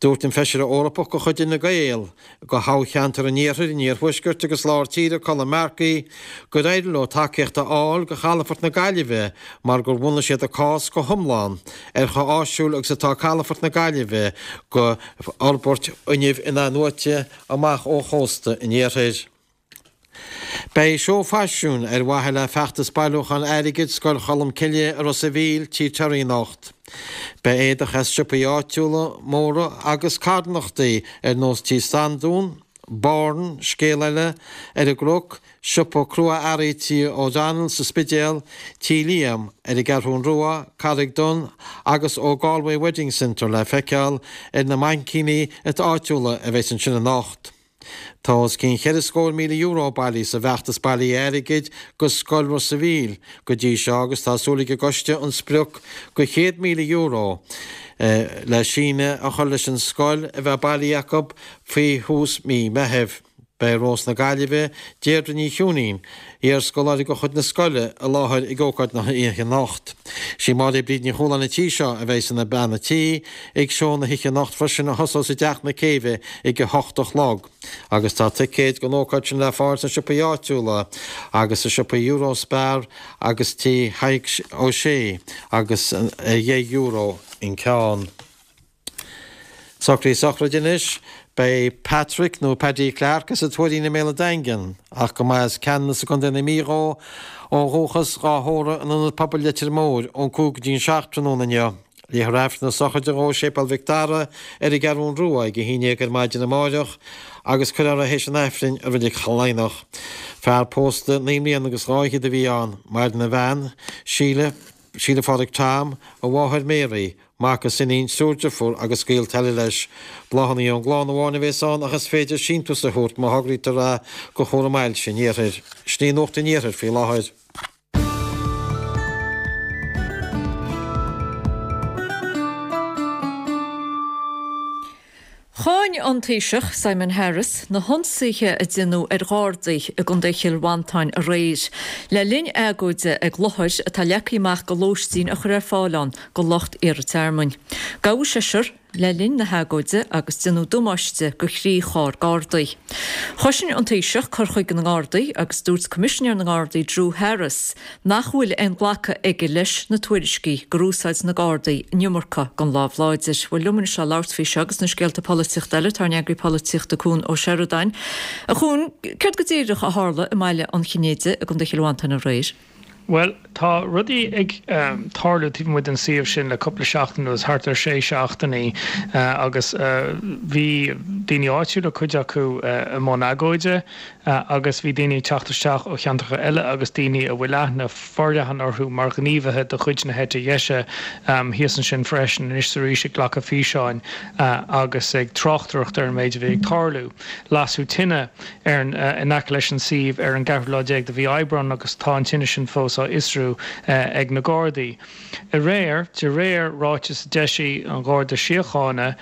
Dúirt an Feisire Eorpach de chuid Fhine Gael do thoghcheantar an Iarthair, an Iarthuaiscirt agus Lár Tíre, Colm Markey, gur éirigh leo tacaíocht a fháil do Chalafort na Gaillimhe mar gur bhunaigh siad a cás go hiomlán ar chomh áisiúil agus atá Calafort na Gaillimhe do fhorbairt fhuinnimh in-athnuaite amach ó chósta an Iarthair. Beidh seó faisiúin ar mhaithe le feachtas bailiúcháin airgid Scoil Cholmcille i Ros a' Mhíl, Tigh Terry anocht. Beidh éadach as siopaí áitiúla móra agus carthanachtaí ar nós Tí Standún, Born, Scéal Eile, ar an gCnoc, Siopa Crua-Earraí Tí O'Donnell sa Spidéal, Tí Liam ar an gCeathrú Rua, Carraig Donn agus ó Galway Wedding Centre le feiceáil ar na mainicíní áitiúla a bheas ansin anocht. Tá os cionn cheithre scór míle euro bailithe sa bhfeachtas bailithe airgid go Scoil Ros a' Mhíl go dtí seo agus tá súil ag an gcoiste an sprioc go chéad míle euro le síneadh a chur leis an scoil a bheith bailithe acu faoi thús mí Meithimh. Beidh Rós na Gaillimhe, Deirdre Ní Chiúinín, iar-scoláire de chuid na scoile, i láthair ag ócáid na hoíche anocht. Sí Máire Bríd Ní Chualáin an tí seo a bheidh ina bean a' tí ag seó na hoíche anocht freisin a thosós i dTeach na Céibhe ag a hocht a chlog. Agus tá ticéid don ócáid sin le fáil sna siopaí áitiúla agus sa siopaí Eurospar agus tí Thaidhg Ó Sé agus ar dheich euro an ceann. Socruithe sochraide anois. Beidh Patrick nó Paddy Clarke as an Tuairín i mBéal an Daingin, ach go mba as Ceanannas i gContae na Mí dhó ó dhúchas, dhá thórramh in Ionad Pobail Leitir Móir ón cúig go dtí an seacht tráthnóna inniu. Léifear Aifreann na sochraide dhó i Séipéal Mhic Dara ar an gCeathrún Rua ag a haon déag ar maidin amáireach agus cuirfear é théis an Aifrinn i Reilig Chill Laighneach. Fear pósta naoi mbliana agus dhá fhichead a bhí ann. Maireann a bhean, Síle, Síle Phádraig Tom, a mháthair Mary, mac is iníon, triúr deirfiúr agus gaolta eile leis. Bláthanna ón gclann amháin a bhéas ann ach is féidir síntiús a thabhairt má thograítear é go Chúram Ailse an Iarthair. Sin í Nuacht an Iarthair faoi láthair. Cháin an Taoiseach Simon Harris na hionsaithe a deineadh ar Ghardaí i gContae Chill Mhantáin aréir le linn agóide ag láthair atá leagtha amach go lóistín a chur ar fáil ann go lucht iarrtha tearmainn. Gabhadh seisear le linn na hagóide agus deineadh damáiste go thrí charr Gardaí. Chosain an Taoiseach cur chuige na nGardaí agus dúirt Coimisinéir na nGardaí Drew Harris nach bhfuil aon ghlacadh aige leis na tuairiscí gur úsáid na Gardaí an iomarca den lámh láidir. Bhuel liom anois le labhairt faoi seo agus na scéalta polaitíochta eile tá ár n-eagraí polaitíochta Cuan Ó Seireadáin. A Chuain, céard go díreach a tharla i mBaile an Chinnéidigh i gContae Chill Mhantáin aréir? Bhuel, tá rudaí ag tarlú taobh amuigh den suíomh sin le cúpla seachtain anuas, thart ar sé seachtainí, agus bhí daoine áitiúla, cuid acu i mbun agóide, agus bhí daoine ag teacht isteach ó cheantracha eile agus daoine a bhfuil aithne forleathan orthu mar ghníomhaithe de chuid na heite dheise thíos ansin freisin, anois is arís ag glacadh físeáin agus ag tráchtaireacht ar an méid a bhí ag tarlú. Lasadh tine ar an in aice leis an suíomh ar an gceathrú lá déag de mhí Aibreán agus tá an tine sin fós á fhiosrú ag na Gardaí. Aréir, de réir ráiteas a d'eisigh an Gharda Síochána,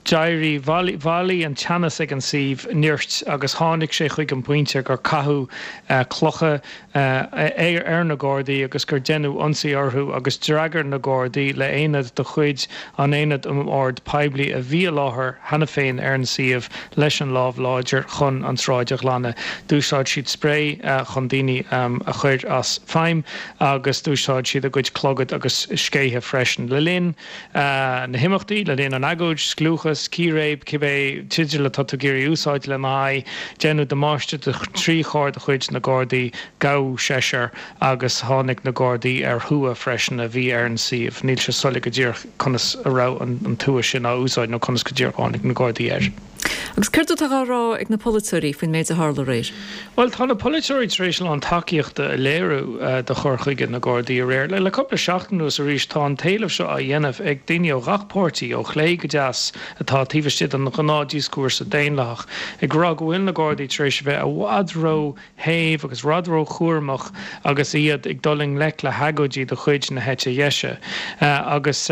d'éirigh, bhailigh an teannas ag an suíomh nirt agus tháinig sé chuig an bpointe gur caitheadh clocha ar na Gardaí agus gur deineadh ionsaí orthu agus d'fhreagair na Gardaí le haonad de chuid an Aonaid um Ord Poiblí a bhí i láthair cheana féin ar an suíomh leis an lámh láidir chun an tsráid a ghlanadh. D'úsáid siad sprae chun daoine a chur as feidhm agus d'úsáid siad a gcuid clogad agus scéithe freisin. Le linn na himeachtaí, le linn an agóid, scliúchas, círéib, cibé teideal atá tú ag iarraidh a úsáid lena aghaidh, deineadh damáiste do thrí charr de chuid na Gardaí, gabhadh seisear agus tháinig na Gardaí ar thua freisin a bhí ar an suíomh. Níl sé soiléir go díreach conas a raibh an tua sin á úsáid nó conas go díreach a tháinig na Gardaí air. Agus céard atá á rá ag na polaiteoirí faoin méid a tharla aréir? Bhuel, tá na polaiteoirí tar éis a lán tacaíochta a léiriú do chur chuige na Gardaí aréir. Le cúpla seachtain anuas arís, tá an t-éileamh seo á dhéanamh ag daoine ó ghach páirtí, ó chlé go deas, atá taobh istigh den ghnáthdhioscúrsa daonlathach, ag rá go bhfuil na Gardaí tar éis a bheith i bhfad ró-shéimh agus i bhfad ró-chúramach agus iad ag dul i ngleic le hagóidí de chuid na heite dheise. Agus,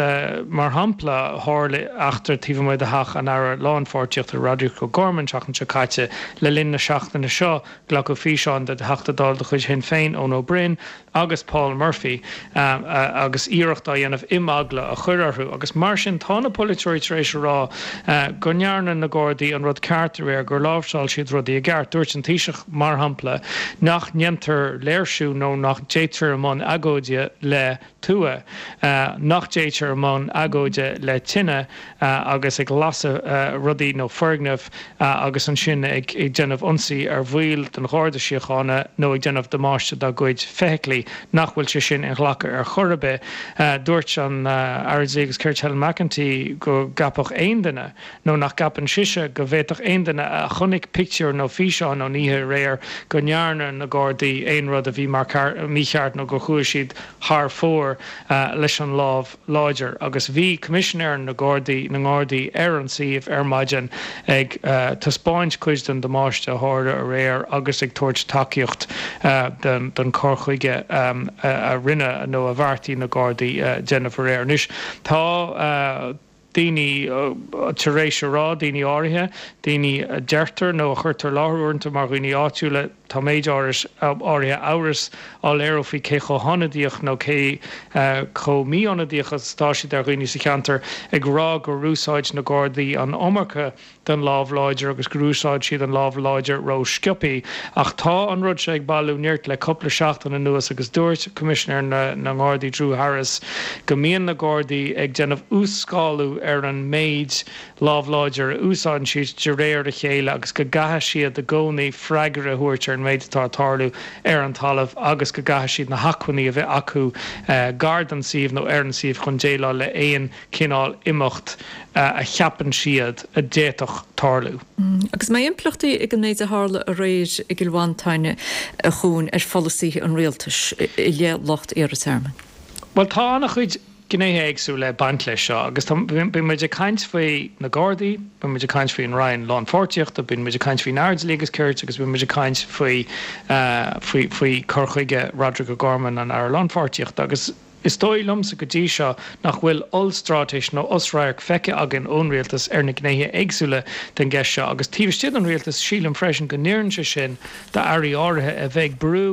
mar shampla, tharla eachtra taobh amuigh de theach an Aire Lánpháirtíochta, Roderic O'Gorman, an tseachtain seo caite. Le linn na seachtaine seo, glacadh físeán de Theachta Dála de chuid Shinn Féin, Eoin Ó Broin, agus Paul Murphy agus iarracht á dhéanamh imeagla a chur orthu. Agus mar sin, tá na polaiteoirí tar éis a rá go ndearna na Gardaí an rud ceart aréir, gur láimhseáil siad rudaí i gceart. Dúirt an Taoiseach, mar shampla, nach ndéantar léirsiú nó nach dtéitear i mbun agóide le tua, nach dtéitear i mbun agóide le tine agus ag lasadh rudaí nó foirgneamh agus ansin ag déanamh ionsaí ar bhaill den Gharda Síochána nó ag déanamh damáiste dá gcuid feithiclí, nach bhfuil sé sin inghlactha ar chor ar bith. Dúirt an Aire Dlí agus Cirt Helen McEntee go gceapfadh aon duine, nó nach gceapann sise go bhféadfadh aon duine a chonaic pictiúir nó físeáin ón oíche aréir go ndearna na Gardaí aon rud a bhí mícheart nó gur chuaigh siad thar fóir leis an lámh láidir agus bhí Coimisinéir na Gardaí na nGardaí ar an suíomh ar maidin ag taispeáint cuid den damáiste a tharla aréir agus ag tabhairt tacaíocht don chur chuige a rinne nó a bheartaigh na Gardaí déanamh aréir. Anois tá. daoine tar éis a rá, daoine áirithe, daoine a deirtear nó a chuirtear i láthair uaireanta mar dhaoine áitiúla, tá méid áirithe amhrais á léiriú faoi cé chomh hionadaíoch nó cé chomh mí-ionadaíoch is atá siad ar dhaoine sa cheantar, ag rá gur úsáid na Gardaí an iomarca den lámh láidir agus gur úsáid siad an lámh láidir ró-sciobthaí. Ach tá an rud seo ag bailiú nirt le cúpla seachtain anuas agus dúirt Coimisinéir na nGardaí Drew Harris go mbíonn na Gardaí ag déanamh uas-scálú ar an méid lámh láidir a úsáideann siad de réir a chéile agus go gcaithfidh siad i gcónaí freagra a thabhairt ar an méid atá ag tarlú ar an talamh agus go gcaithfidh siad na hacmhainní a bheith acu gar don suíomh nó ar an suíomh chun déileáil le aon chineál imeacht a cheapann siad a d'fhéadfadh tarlú. Agus an mbeidh impleachtaí ag an méid a tharla aréir i gCill Mhantáin, a Chuain, ar pholasaithe an rialtais i leith lucht iarrtha tearmainn? Bhuel, tá an-chuid gnéithe éagsúla ag baint leis seo agus tá, bíonn muid ag caint faoi na Gardaí, bíonn muid ag caint faoin Roinn Lánpháirtíochta, bíonn muid ag caint faoin Aire Dlí agus Cirt agus bíonn muid ag caint faoi, faoi, faoi cur chuige Roderic O'Gorman, an Aire Lánpháirtíochta agus is dóigh liomsa go dtí seo nach bhfuil ollstraitéis nó osradharc feicthe againn ón Rialtas ar na gnéithe éagsúla den gceist seo agus taobh istigh den Rialtas sílim freisin go n-oireann sé sin d'airí áirithe a bheith ag brú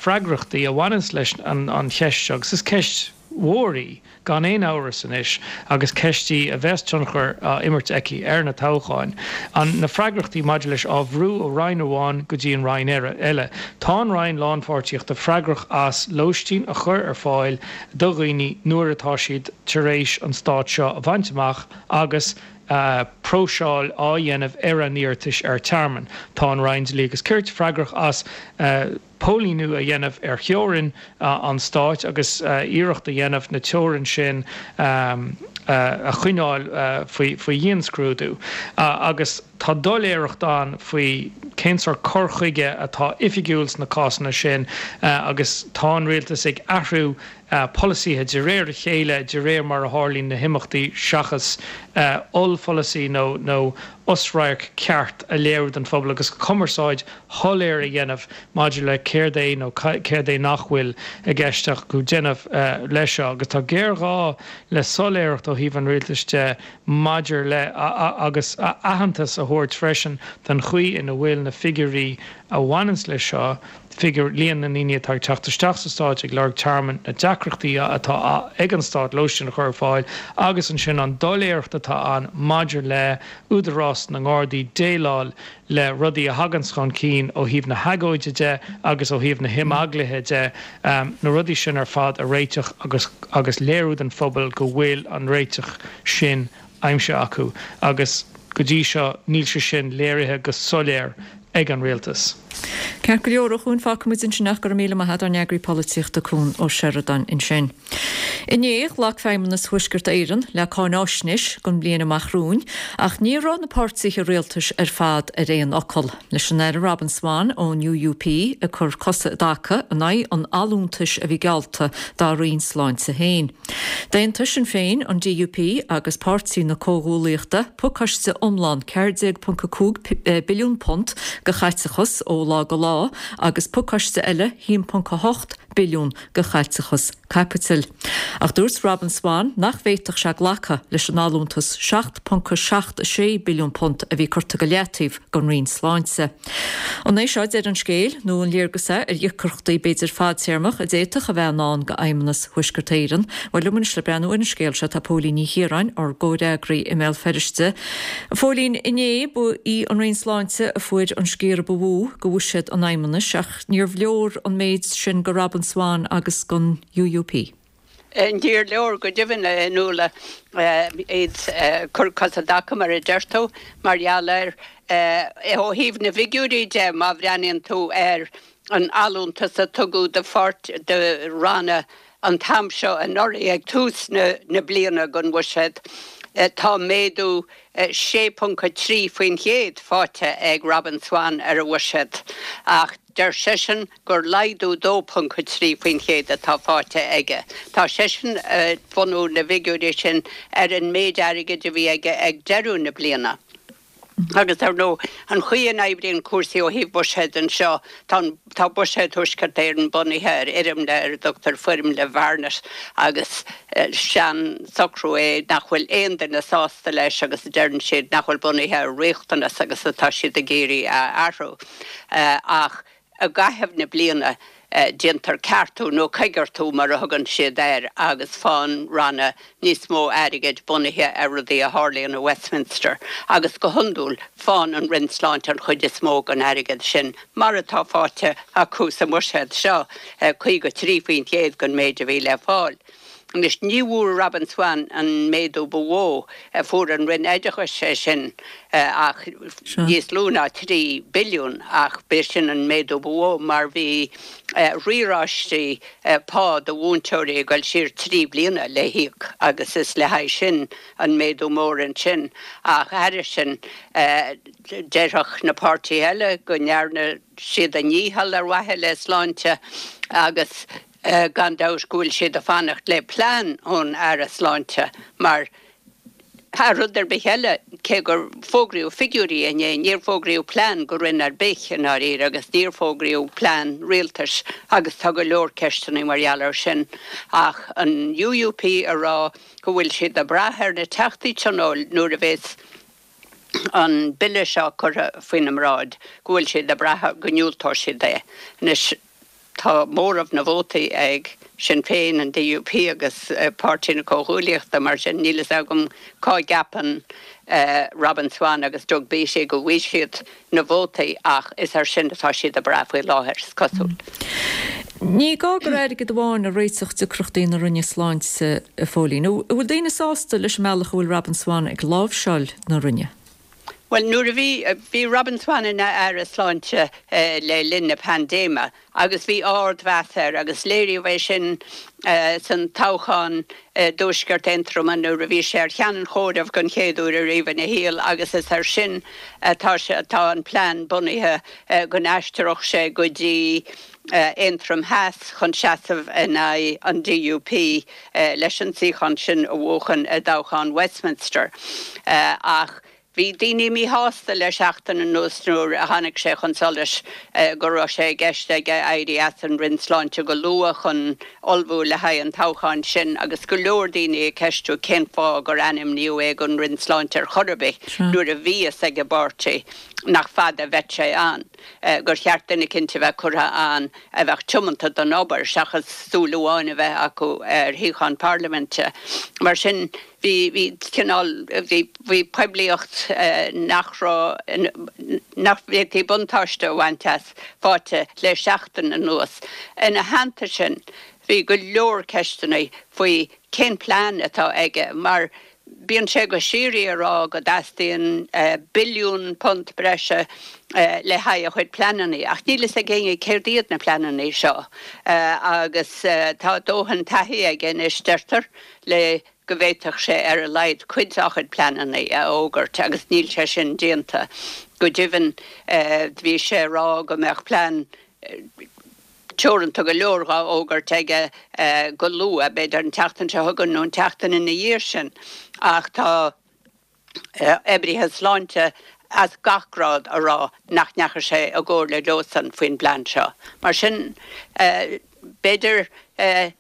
freagrachtaí a bhaineanns leis an cheist seo agus is ceist mhór í, gan aon amhras anois, agus ceist í a bheas tionchar á imirt aici ar na toghcháin. An na freagrachtaí maidir leis á bhrú ó roinn amháin go dtí an roinn eile. Tá an Roinn Lánpháirtíochta freagrach as lóistín a chur ar fáil do dhaoine nuair atá siad tar éis an stát seo a bhaint amach agus próiseáil á dhéanamh ar a n-iarratais ar tearmann. Tá an Roinn Dlí agus Cirt freagrach as póilíniú a dhéanamh ar theorainn an stáit agus iarracht a dhéanamh na teorann sin a choinneáil faoi dhianscrúdú. Agus tá doiléireacht ann faoi cén sórt cur chuige atá oifigiúil sna cásanna sin agus tá an rialtas ag athrú polasaithe de réir a chéile de réir mar a tharlaíonn na himeachtaí seachas ollpholasaí nó nó osradharc ceart a léiriú don phobal agus cumarsáid shoiléir a dhéanamh maidir le céard é nó céard é nach bhfuil i gceist acu déanamh leis seo. Agus tá géarghá le soiléireacht ó thaobh an rialtais de maidir le agus aitheantas a thabhairt freisin don chaoi ina bhfuil na figiúirí a bhaineanns leis seo, figiúr líon na ndaoine atá ag teacht isteach sa Stát ag lorg tearmainn, na deacrachtaí atá ag an Stát lóistín a chur ar fáil agus ansin an doiléireacht atá ann maidir le údarás na nGardaí déileáil le rudaí a thaganns chun cinn ó thaobh na hagóide de agus ó thaobh na himeaglaithe de, na rudaí sin ar fad a réiteach agus agus léiriú don phobal go bhfuil an réiteach sin aimsithe acu agus go dtí seo níl sé sin léirithe go soiléir ag an rialtas. Ceart go leor, a Chuain, fágfaidh muid ansin ach go raibh míle maith agat, ár n-eagraí polaitíochta Cuan Ó Seireadáin ansin. Inné, ghlac Feidhmeannas Thuaisceart Éireann le cáináisnéis don bhliain amach romhainn, ach ní raibh na páirtithe rialtais ar fad ar aon fhocal, leis an Aire Robin Swann ón UUP ag cur cosa i dtaca in aghaidh an allúntais a bhí geallta dá roinn sláinte féin. D'aontaigh Sinn Féin, an DUP agus Páirtí na Comhghuallaíochta pacáiste iomlán ceathair déag ponc a cúig billiún punt de chaiteachas ó lá go lá agus pacáiste eile haon ponc a hocht billiún de chaiteachas caipitil. Ach dúirt Robin Swann nach bhféadfadh sé glacadh leis an allúntas seacht ponc seacht a sé billiún punt a bhí curtha go leataobh don Roinn Sláinte. An é seo deireadh an scéil nó an léargas é ar dheacrachtaí b'fhéidir fadtéarmach a d'fhéadfadh a bheith i ndán do Fheidhmeannas Thuaisceart Éireann? Bhuel, liom anois le breathnú ar an scéal seo tá Póilín Ní Chiaráin, ár gcomhfhreagraí i mBéal Feirste. A Phóilín, inné ba í an Roinn Sláinte a fuair an sciorradh ba mhó de bhuiséad an Fheidhmeannais ach níorbh leor an méid sin do Robin Swann agus don UUP. Níor leor go deimhin, a Fhionnuala, iad ag cur cosa i dtaca, mar a deir tú, mar gheall ar, ó thaobh na bhfigiúirí de, má bhreathnaíonn tú ar an allúntas a tugadh do pháirt, do ranna an t-am seo anuraidh, ag tús na bliana den bhuiséad, tá méadú sé ponc a trí faoin chéad faighte ag Robin Swann ar a bhuiséad, ach deir seisean gur laghdú dó ponc a trí faoin chéad atá faighte aige. Tá seisean ag bunú na bhfigiúirí sin ar an méid airgid a bhí aige ag deireadh na bliana. Agus ar ndóigh, an chaoi a n-oibríonn cúrsaí ó thaobh buiséid anseo, tá tá buiséad Thuaisceart Éireann bunaithe ar fhoirmle ar a dtugtar foirmle Bharnett agus sean-socrú é nach bhfuil aon duine sásta leis agus deireann siad nach bhfuil bunaithe ar riachtanas agus atá siad ag iarraidh a athrú. Ach i gcaitheamh na bliana déantar ceartú nó coigeartú mar a thugann siad air agus faigheann ranna níos mó airgid bunaithe ar rudaí a tharlaíonn i Westminster agus go hiondúil faigheann an Roinn Sláinte an chuid is mó den airgead sin mar atá faighte acu sa mbuiséad seo, caoga trí faoin gcéad den méid a bhí le fáil. Anois, ní bhfuair Robin Swann an méadú ba mhó, fuair an Roinn Oideachais é sin ach níos lú ná trí billiún ach b'é sin an méadú ba mhó mar bhí riaráistí pá do mhúinteoirí ag dul siar trí bliana le híoc agus is le haghaidh sin an méadú mór ansin. Ach thairis sin, déarfadh na páirtithe eile go ndearna siad a ndícheall ar mhaithe le sláinte agus gan dabht go bhfuil siad ag fanacht le plean ón Aire Sláinte mar thar rud ar bith eile, cé gur fógraíodh figiúirí inné, níor fógraíodh plean go roinn ar bith i ndáiríre agus níor fógraíodh plean rialtais agus tá go leor ceisteanna mar gheall air sin. Ach an UUP a rá go bhfuil siad ag brath ar na Teachtaí Tionóil nuair a bheas an bille seo curtha faoina mbráid, go bhfuil siad ag brath go ndiúltóidh siad é. Anois, tá móramh na vótaí ag Sinn Féin, an DUP agus Páirtí na Comhghuaillíochta, mar sin níl fhios agam cá gceapann Robin Swann agus Doug Beattie go bhfaighidh siad na vótaí ach is air sin atá siad ag brath faoi láthair, is cosúil. Ní gá gur airgead amháin a réiteodh deacrachtaí na Roinne Sláinte, a Phóilín. An bhfuil daoine sásta leis an mbealach a bhfuil Robin Swann ag láimhseáil na Roinne? Bhuel, nuair a bhí, bhí Robin Swann ina Aire Sláinte le linn na paindéime agus bhí ardmheas air agus léiríodh é sin san toghchán i dTuaisceart Aontroma nuair a bhí sé ar cheann an chomhairimh den chéad uair ariamh ina shaol agus is air sin atá sé, atá an plean bunaithe go n-aistreodh sé go dtí Aontroim Theas chun seasamh in aghaidh an DUP leis an suíochán sin a bhuachan i dtoghchán Westminster. Ach bhí daoine míshásta le seachtain anuas nuair a tháinig sé chun solais go raibh sé i gceist aige éirí as an Roinn Sláinte go luath chun ullmhú le haghaidh an toghcháin sin agus go leor daoine ag ceistiú cén fáth gur ainmníodh é don Roinn Sláinte ar chor ar bith nuair a bhí fhios ag an bpáirtí nach fada a bheadh sé ann, gur cheart duine eicínt a bheith curtha ann a bheadh tiomanta don obair seachas súil amháin a bheith acu ar shuíochán parlaiminte. Mar sin, bhí, bhí cineál, bhí, bhí poiblíocht nach raibh, nach bhféadfaí buntáiste a bhaint as faighte le seachtain anuas. Ina theannta sin, bhí go leor ceisteanna faoi cén plean atá aige mar Bíonn sé go síoraí ag rá go dteastaíonn billiún punt breise le haghaidh a chuid pleananna, ach níl fhios ag éinne céard iad na pleananna seo. Agus tá dóthain taithí aige anois, deirtear, le go bhféadfadh sé ar a laghad cuid dá chuid pleananna a fhógairt, agus níl sé sin déanta. Go deimhin, bhí sé ag rá go mbeadh plean teoranta go leor dhá fhógairt aige go luath, b'fhéidir an tseachtain seo chugainn nó an tseachtain ina dhiaidh sin, ach tá oibrithe sláinte as gach grád a rá nach ndeachaigh sé i gcomhairle leosan faoin bplean seo. Mar sin, b'fhéidir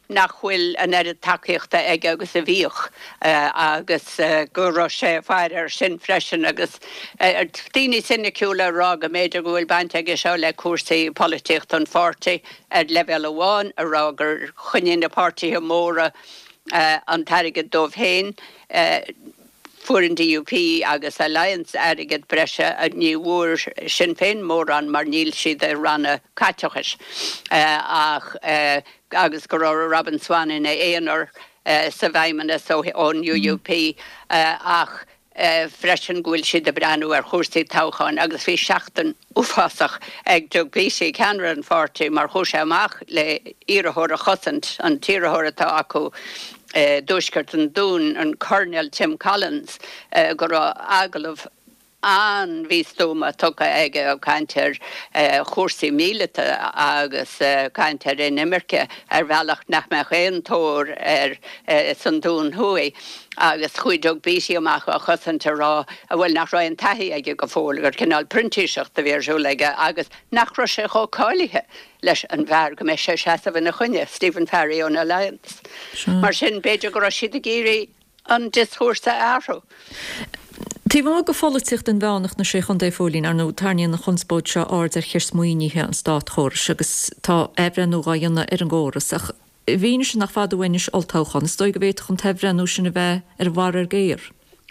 nach bhfuil an oiread tacaíochta aige agus a bhíodh agus go raibh sé ag faire air sin freisin agus daoine soiniciúla ag rá go mb'fhéidir go bhfuil baint aige seo le cúrsaí polaitíochta an pháirtí ar leibhéal amháin a rá gur choinnigh na páirtithe móra an t-airgead dóibh féin. Fuair an DUP agus Alliance airgead breise, ní bhfuair Sinn Féin mórán mar níl siad i ranna caiteachais ach agus go raibh Robin Swann ina aonar sa bhFeidhmeannas ón UUP ach freisin go bhfuil siad ag breathnú ar chúrsaí toghcháin agus bhí seachtain uafásach ag Doug Beattie, ceannaire an pháirtí, mar chuaigh sé amach le iarrthóir a chosaint, an t-iarrthóir atá acu i dtuaisceart an Dúin, an Coirnéal Tim Collins, go raibh agallamh an-mhístuama tugtha aige ag caint ar chúrsaí míleata agus caint ar inimirce ar bhealach nach mbeadh aon tóir air san Dún Thuaidh agus chuaigh Doug Beattie amach á chosaint a rá bhuel nach raibh aon taithí aige go fóill, gur cineál printíseacht a bhí ar siúl aige agus nach raibh sé chomh cáilithe leis an bhfear go mbeidh sé ag seasamh ina choinne, Stephen Farry ón Alliance. Mar sin b'fhéidir go raibh siad ag iarraidh an dioschúrsa a athrú. Taobh amuigh de pholaitíocht inmheánach na Sé Chontae, a Phóilín, ar ndóigh, tarraingíonn an chonspóid seo aird ar cheist maoinithe an státchórais agus tá athbhreithniú dhá dhéanamh ar an gcóras ach i bhfianaise nach fada uainn anois olltoghchán, is dóigh go bhféadfadh an t-athbhreithniú sin a bheith ar an bharr ar géar.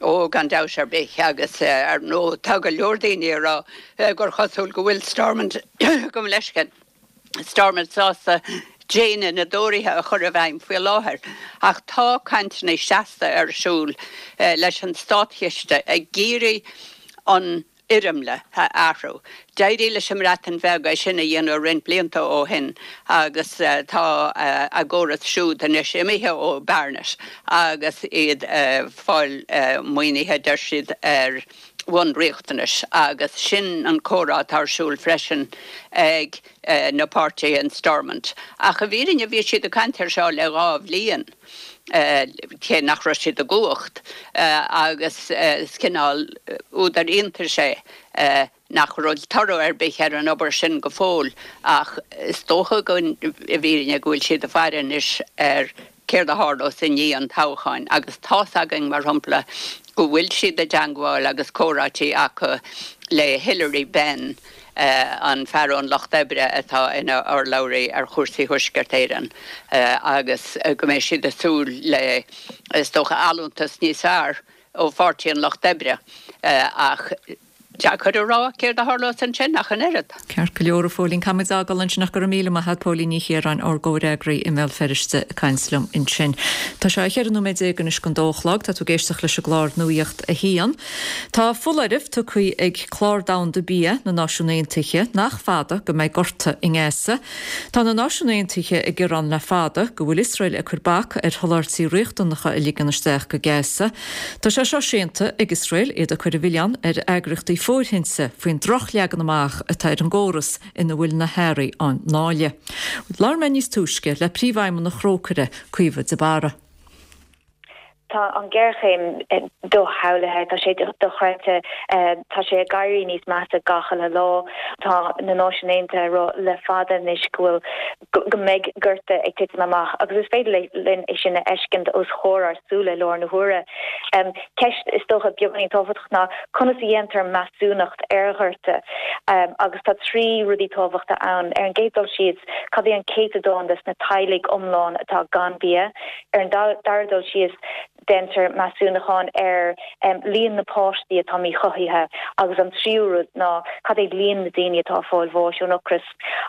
Ó, gan dabht ar bith, agus ar ndóigh tá go leor daoine ag rá gur chosúil go bhfuil Stormont, gabh mo leithscéal. Stormont sásta déine na dTóraithe a chur i bhfeidhm faoi láthair, ach tá cainteanna seasta ar siúl leis an státchiste ag iarraidh an fhoirmle a athrú. D'éirigh leis an mBreatain Bheag é sin a dhéanamh roinnt blianta ó shin agus tá a gcóras siúd anois imithe ó Barnett agus iad ag fáil maoinithe, deir siad, ar bhonn riachtanais agus sin an comhrá atá ar siúl freisin ag na páirtithe in Stormont. Ach i bhfírinne bhí siad ag caint air seo le dhá bhliain, cé nach raibh siad i gcumhacht, agus is cineál údar iontais é nach raibh toradh ar bith ar an obair sin go fóill ach is dócha go i bhfírinne go bhfuil siad ag faire anois ar céard a tharlós i ndiaidh an toghcháin agus tá's againn, mar shampla, go bhfuil siad i dteangmháil agus comhráití acu le Hilary Benn, an fear ón Lucht Oibre atá ina urlabhraí ar chúrsaí Thuaisceart Éireann agus go mbeidh siad ag súil le, is dócha, allúntas níos fearr ó Pháirtí an Lucht Oibre ach deacair a rá céard a tharlós ansin ach an oiread. Ceart go leor, a Phóilín. Caithfidh muid fágáil ansin ach go raibh míle maith agat, Póilín Ní Chiaráin, ár gcomhfhreagraí i mBéal Feirste ag caint liom ansin. Tá sé cheithre nóiméad déag anois don dó a chlog. Tá tú ag éisteacht leis an gclár Nuacht a hAon. Tá foláireamh tugtha ag Clár Domhanda Bia na Náisiún Aontaithe nach fada go mbeidh gorta i nGaza. Tá na Náisiún Aontaithe ag gearán le fada go bhfuil Iosrael ag cur bac ar sholáthairtí riachtanacha a ligean isteach go Gaza. Tá sé seo séanta ag Iosrael, iad ag cur an mhilleáin ar eagraíochtaí fóirithinte faoin drochleagan amach atá ar an gcóras ina bhfuil na hearraí á ndáileadh. Labhair mé níos túisce le Príomhfheidhmeannach Thrócaire, Caoimhe de Barra. Tá an ghéarchéim doshamhlaithe, tá sé dochreidte, tá sé ag éirí níos measa gach uile lá. Tá na Náisiúin Aontaithe ag rá le fada anois go bhfuil, go mbeidh gorta ag titim amach agus is féidir linn é sin a fheiscint os comhair ár súile i láthair na huaire. Ceist is dócha beagáinín tábhachtach ná conas a dhéantar measúnacht ar ghorta agus tá trí rudaí tábhachta ann. Ar an gcéad dul síos, cad é an céatadán des na teaghlaigh iomlán atá gan bia? Ar an dara dul síos, déantar measúnachán ar líon na páistí atá míchothaithe agus an tríú rud ná cad é líon na daoine atá ag fáil bháis ón ocras.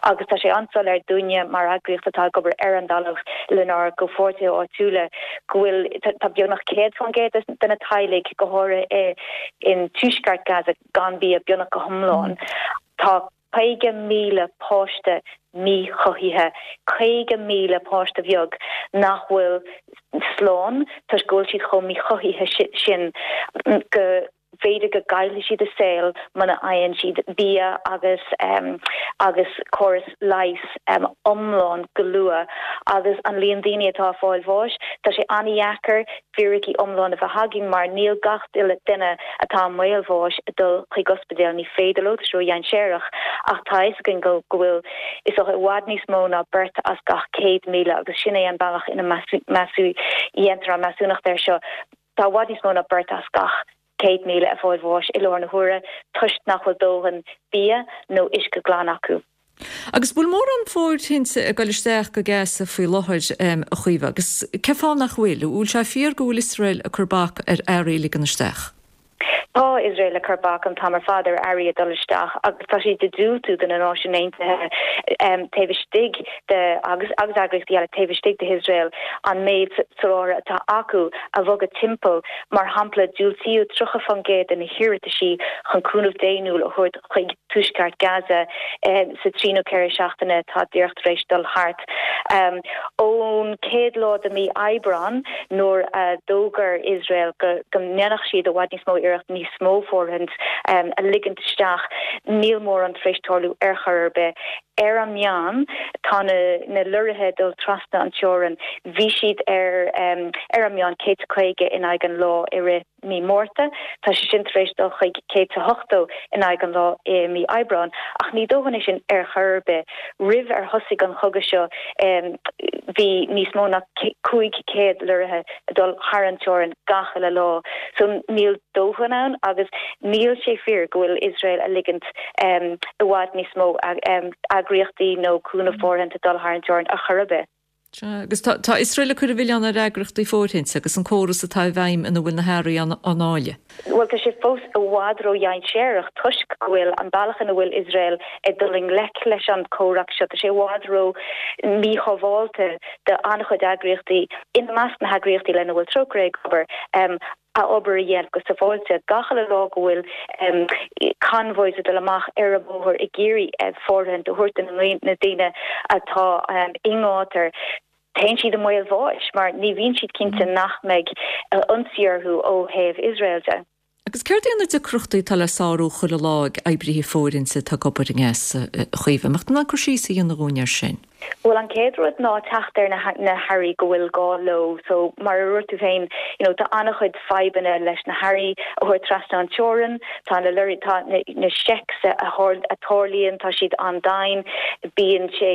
Agus tá sé an-soiléir dúinne mar eagraíocht atá ag obair ar an dtalamh lenár gcomhpháirtithe áitiúla go bhfuil tá beagnach céad faoin gcéad de na teaghlaigh, go háirithe in tuaisceart Gaza, gan bia beagnach go hiomlán. Tá caoga míle páiste míchothaithe, caoga míle páiste bheag nach bhfuil slán toisc go bhfuil siad chomh míchothaithe sin go bhféidir go gcaillfidh siad a saol muna fhaigheann siad bia agus agus córas leighis iomlán go luath. Agus an líon daoine atá ag fáil bháis, tá sé an-dheacair fíricí iomlán a bheith againn mar níl gach duine atá i mbaol bháis ag dul chuig ospidéal, ní féidir leo, tá sé ródhainséarach, ach tá a fhios againn go go bhfuil is dócha i bhfad níos mó ná beirt as gach céad míle agus sin é an bealach ina dhéantar an measúnacht air seo, tá i bhfad níos mó ná beirt as gach céad míle ag fáil bháis i láthair na huaire toisc nach bhfuil dóthain bia nó uisce glan acu. Agus bhfuil mórán fóirithinte ag dul isteach go Gaza faoi láthair, a Chaoimhe, agus cén fáth nach bhfuil? Bhfuil sé fíor go bhfuil Iosrael ag cur bac ar earraí a ligean isteach? Tá Iosrael ag cur bac an t-am ar fad ar earraí a dul isteach agus tá siad ag diúltú do na Náisiúin Aontaithe taobh istigh de agus agus eagraíochtaí eile taobh istigh de Iosrael an méid soláthair atá acu a bhogadh timpeall. Mar shampla, diúltaíodh tríocha faoin gcéad de na hiarrataisí chun cúnamh daonnúil a thabhairt chuig tuaisceart Gaza sa trí nó ceithre seachtaine atá díreach tar éis dul thart. Ón chéad lá de mhí Aibreán, nuair a d'fhógair Iosrael go ndéanfadh siad i bhfad níos mó iarracht níos mó fóirithint a ligint isteach. Níl mórán tar éis tarlú ar chor ar bith. Ar an meán, tá na na lorraithe ag dul trasna an teorainn, bhí siad ar ar an meán céad is caoga in aghaidh an lá i rith mí Márta, tá sé sin tar éis dul chuig céad is ochtó in aghaidh an lá i mí Aibreáin. Ach ní dóthain é sin ar chor ar bith. Roimh ar thosaigh an chogadh seo bhí níos mó ná cúig chéad lorraithe ag dul thar an teorainn gach uile lá. So níl dóthain ann agus níl sé fíor go bhfuil Iosrael a ligint i bhfad níos mó eagraíochtaí nó cúnamh fóirithinte dul thar an teorainn ar chor ar bith. Sea, agus tá tá Iosrael ag cur an mhilleáin ar eagraíochtaí fóirithinte agus an córas atá i bhfeidhm ina bhfuil na hearraí á ndáileadh. Bhuel, tá sé fós i bhfad ró-dhainséarach toisc go bhfuil an bealach ina bhfuil Iosrael ag dul i ngleic leis an comhrac seo, tá sé i bhfad ró-mhíshábháilte do an-chuid eagraíochtaí, ina measc na heagraíochtaí lena bhfuil Trócaire ag obair. a obair a dhéanamh go sábháilte. Gach uile lá go bhfuil convoys ag dul amach ar an bhóthar ag iarraidh fóirithint a thabhairt do na daoine atá i ngátar, téann siad i mbaol bháis mar ní bhíonn siad cinnte nach mbeidh ionsaí orthu ó thaobh Iosrael de. Agus céard iad na deacrachtaí atá le sárú chuile lá ag oibrithe fóirithinte atá ag obair i nGaza, a Chaoimhe? An mbeadh tú in ann cur síos a dhéanamh dhúinn air sin? Bhuel, an chéad rud ná teacht ar na na hearraí go bhfuil gá leo. So, mar a dúirt tú féin, you know, tá an-chuid fadhbanna leis na hearraí a thabhairt trasna an teorainn, tá na lorraí, tá na na checks a a tarlaíonn, tá siad an-dian, bíonn sé,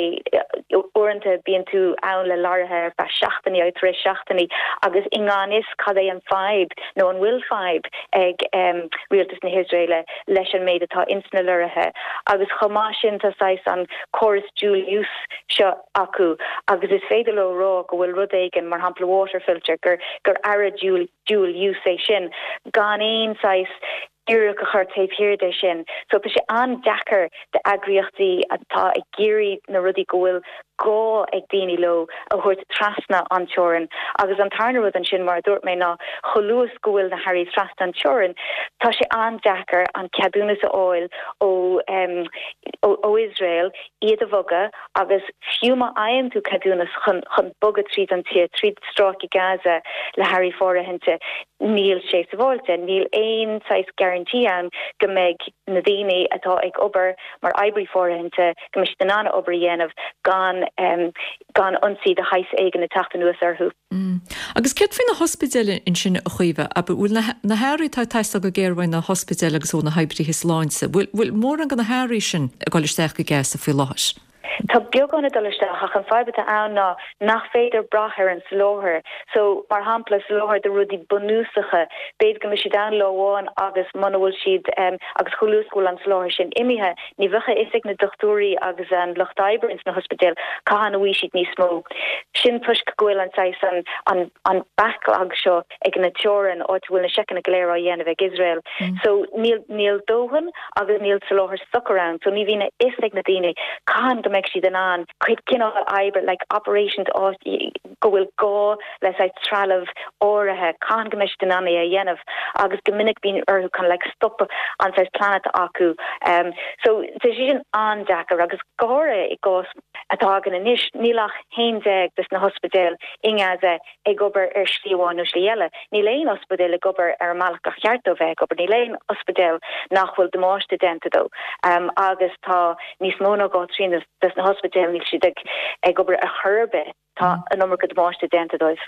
uaireanta bíonn tú ann le lorraithe ar feadh seachtainí agus tar éis seachtainí agus i ngan fhios cad é an fadhb nó an bhfuil fadhb ag rialtas na hIosraeile leis an méid atá ins na lorraithe. Agus chomh maith sin tá saghas an córas dual use seo acu agus is féidir leo rá go bhfuil rud éigin, mar shampla water filter, gur gur earra dual dual use é sin gan aon saghas fíric a chur taobh thiar de sin. So tá sé an-deacair d'eagraíochtaí atá ag iarraidh na rudaí go bhfuil gá ag daoine leo a thabhairt trasna an teorainn. Agus an tarna rud ansin, mar a dúirt mé, ná chomh luath is go bhfuil na hearraí trasna an teorainn, tá sé an-deacair an ceadúnas a fháil ó ó Iosrael iad a bhogadh agus fiú má fhaigheann tú ceadúnas chun chun bogadh tríd an tír, tríd Stráice Gaza le hearraí fóirithinte, níl sé sábháilte. Níl aon saghas guarantee ann go mbeidh na daoine atá ag obair mar oibrí fóirithinte, go mbeidh siad in ann a obair a dhéanamh gan gan ionsaí de shaghas éigin ag teacht anuas orthu. Agus céard faoi na hospidéil ansin, a Chaoimhe? Ab bhfuil na na hearraí atá ag teastáil go géar uaidh na hospidéil agus ó na hoibrithe sláinte, bhfuil bhfuil mórán de na hearraí sin ag dul isteach go Gaza faoi láthair? Tá beagán ag dul isteach ach an fadhb atá ann ná nach féidir brath ar an soláthar. So, mar shampla, soláthar de rudaí bunúsacha, b'fhéidir go mbeidh siad ann lá amháin agus muna bhfuil siad, agus chomh luath is go bhfuil an soláthar sin imithe, ní bheadh a fhios ag na dochtúirí agus an lucht oibre ins na hospidéil cathain a bhfaighidh siad níos mó. Sin toisc go bhfuil an saghas, an, an, an backlog seo ag na teorainn, áit a bhfuil na seiceanna go léir á dhéanamh ag Iosrael. So, níl, níl dóthain agus níl soláthar socair ann. So, ní bhíonn a fhios ag na daoine cathain go mbeidh siad in ann cuid cineál oibre, like operations áit go bhfuil gá le saghas trealamh áirithe, cathain go mbeidh siad in ann é a dhéanamh agus go minic bíonn orthu kind of like stop an saghas plean atá acu. Um, so tá sé sin an-deacair agus go háirithe i gcás atá againn anois, níl ach haon déag des na hospidéil i nGaza ag obair ar shlí amháin nó slí eile. Níl aon ospidéal ag obair ar an mbealach gur cheart dó bheith ag obair. Níl aon ospidéal nach bhfuil damáiste déanta dó. Um, agus tá níos mó ná dhá thrian des na hospidéil, níl siad ag ag obair ar chor ar bith. Tá an iomarca damáiste déanta dóibh.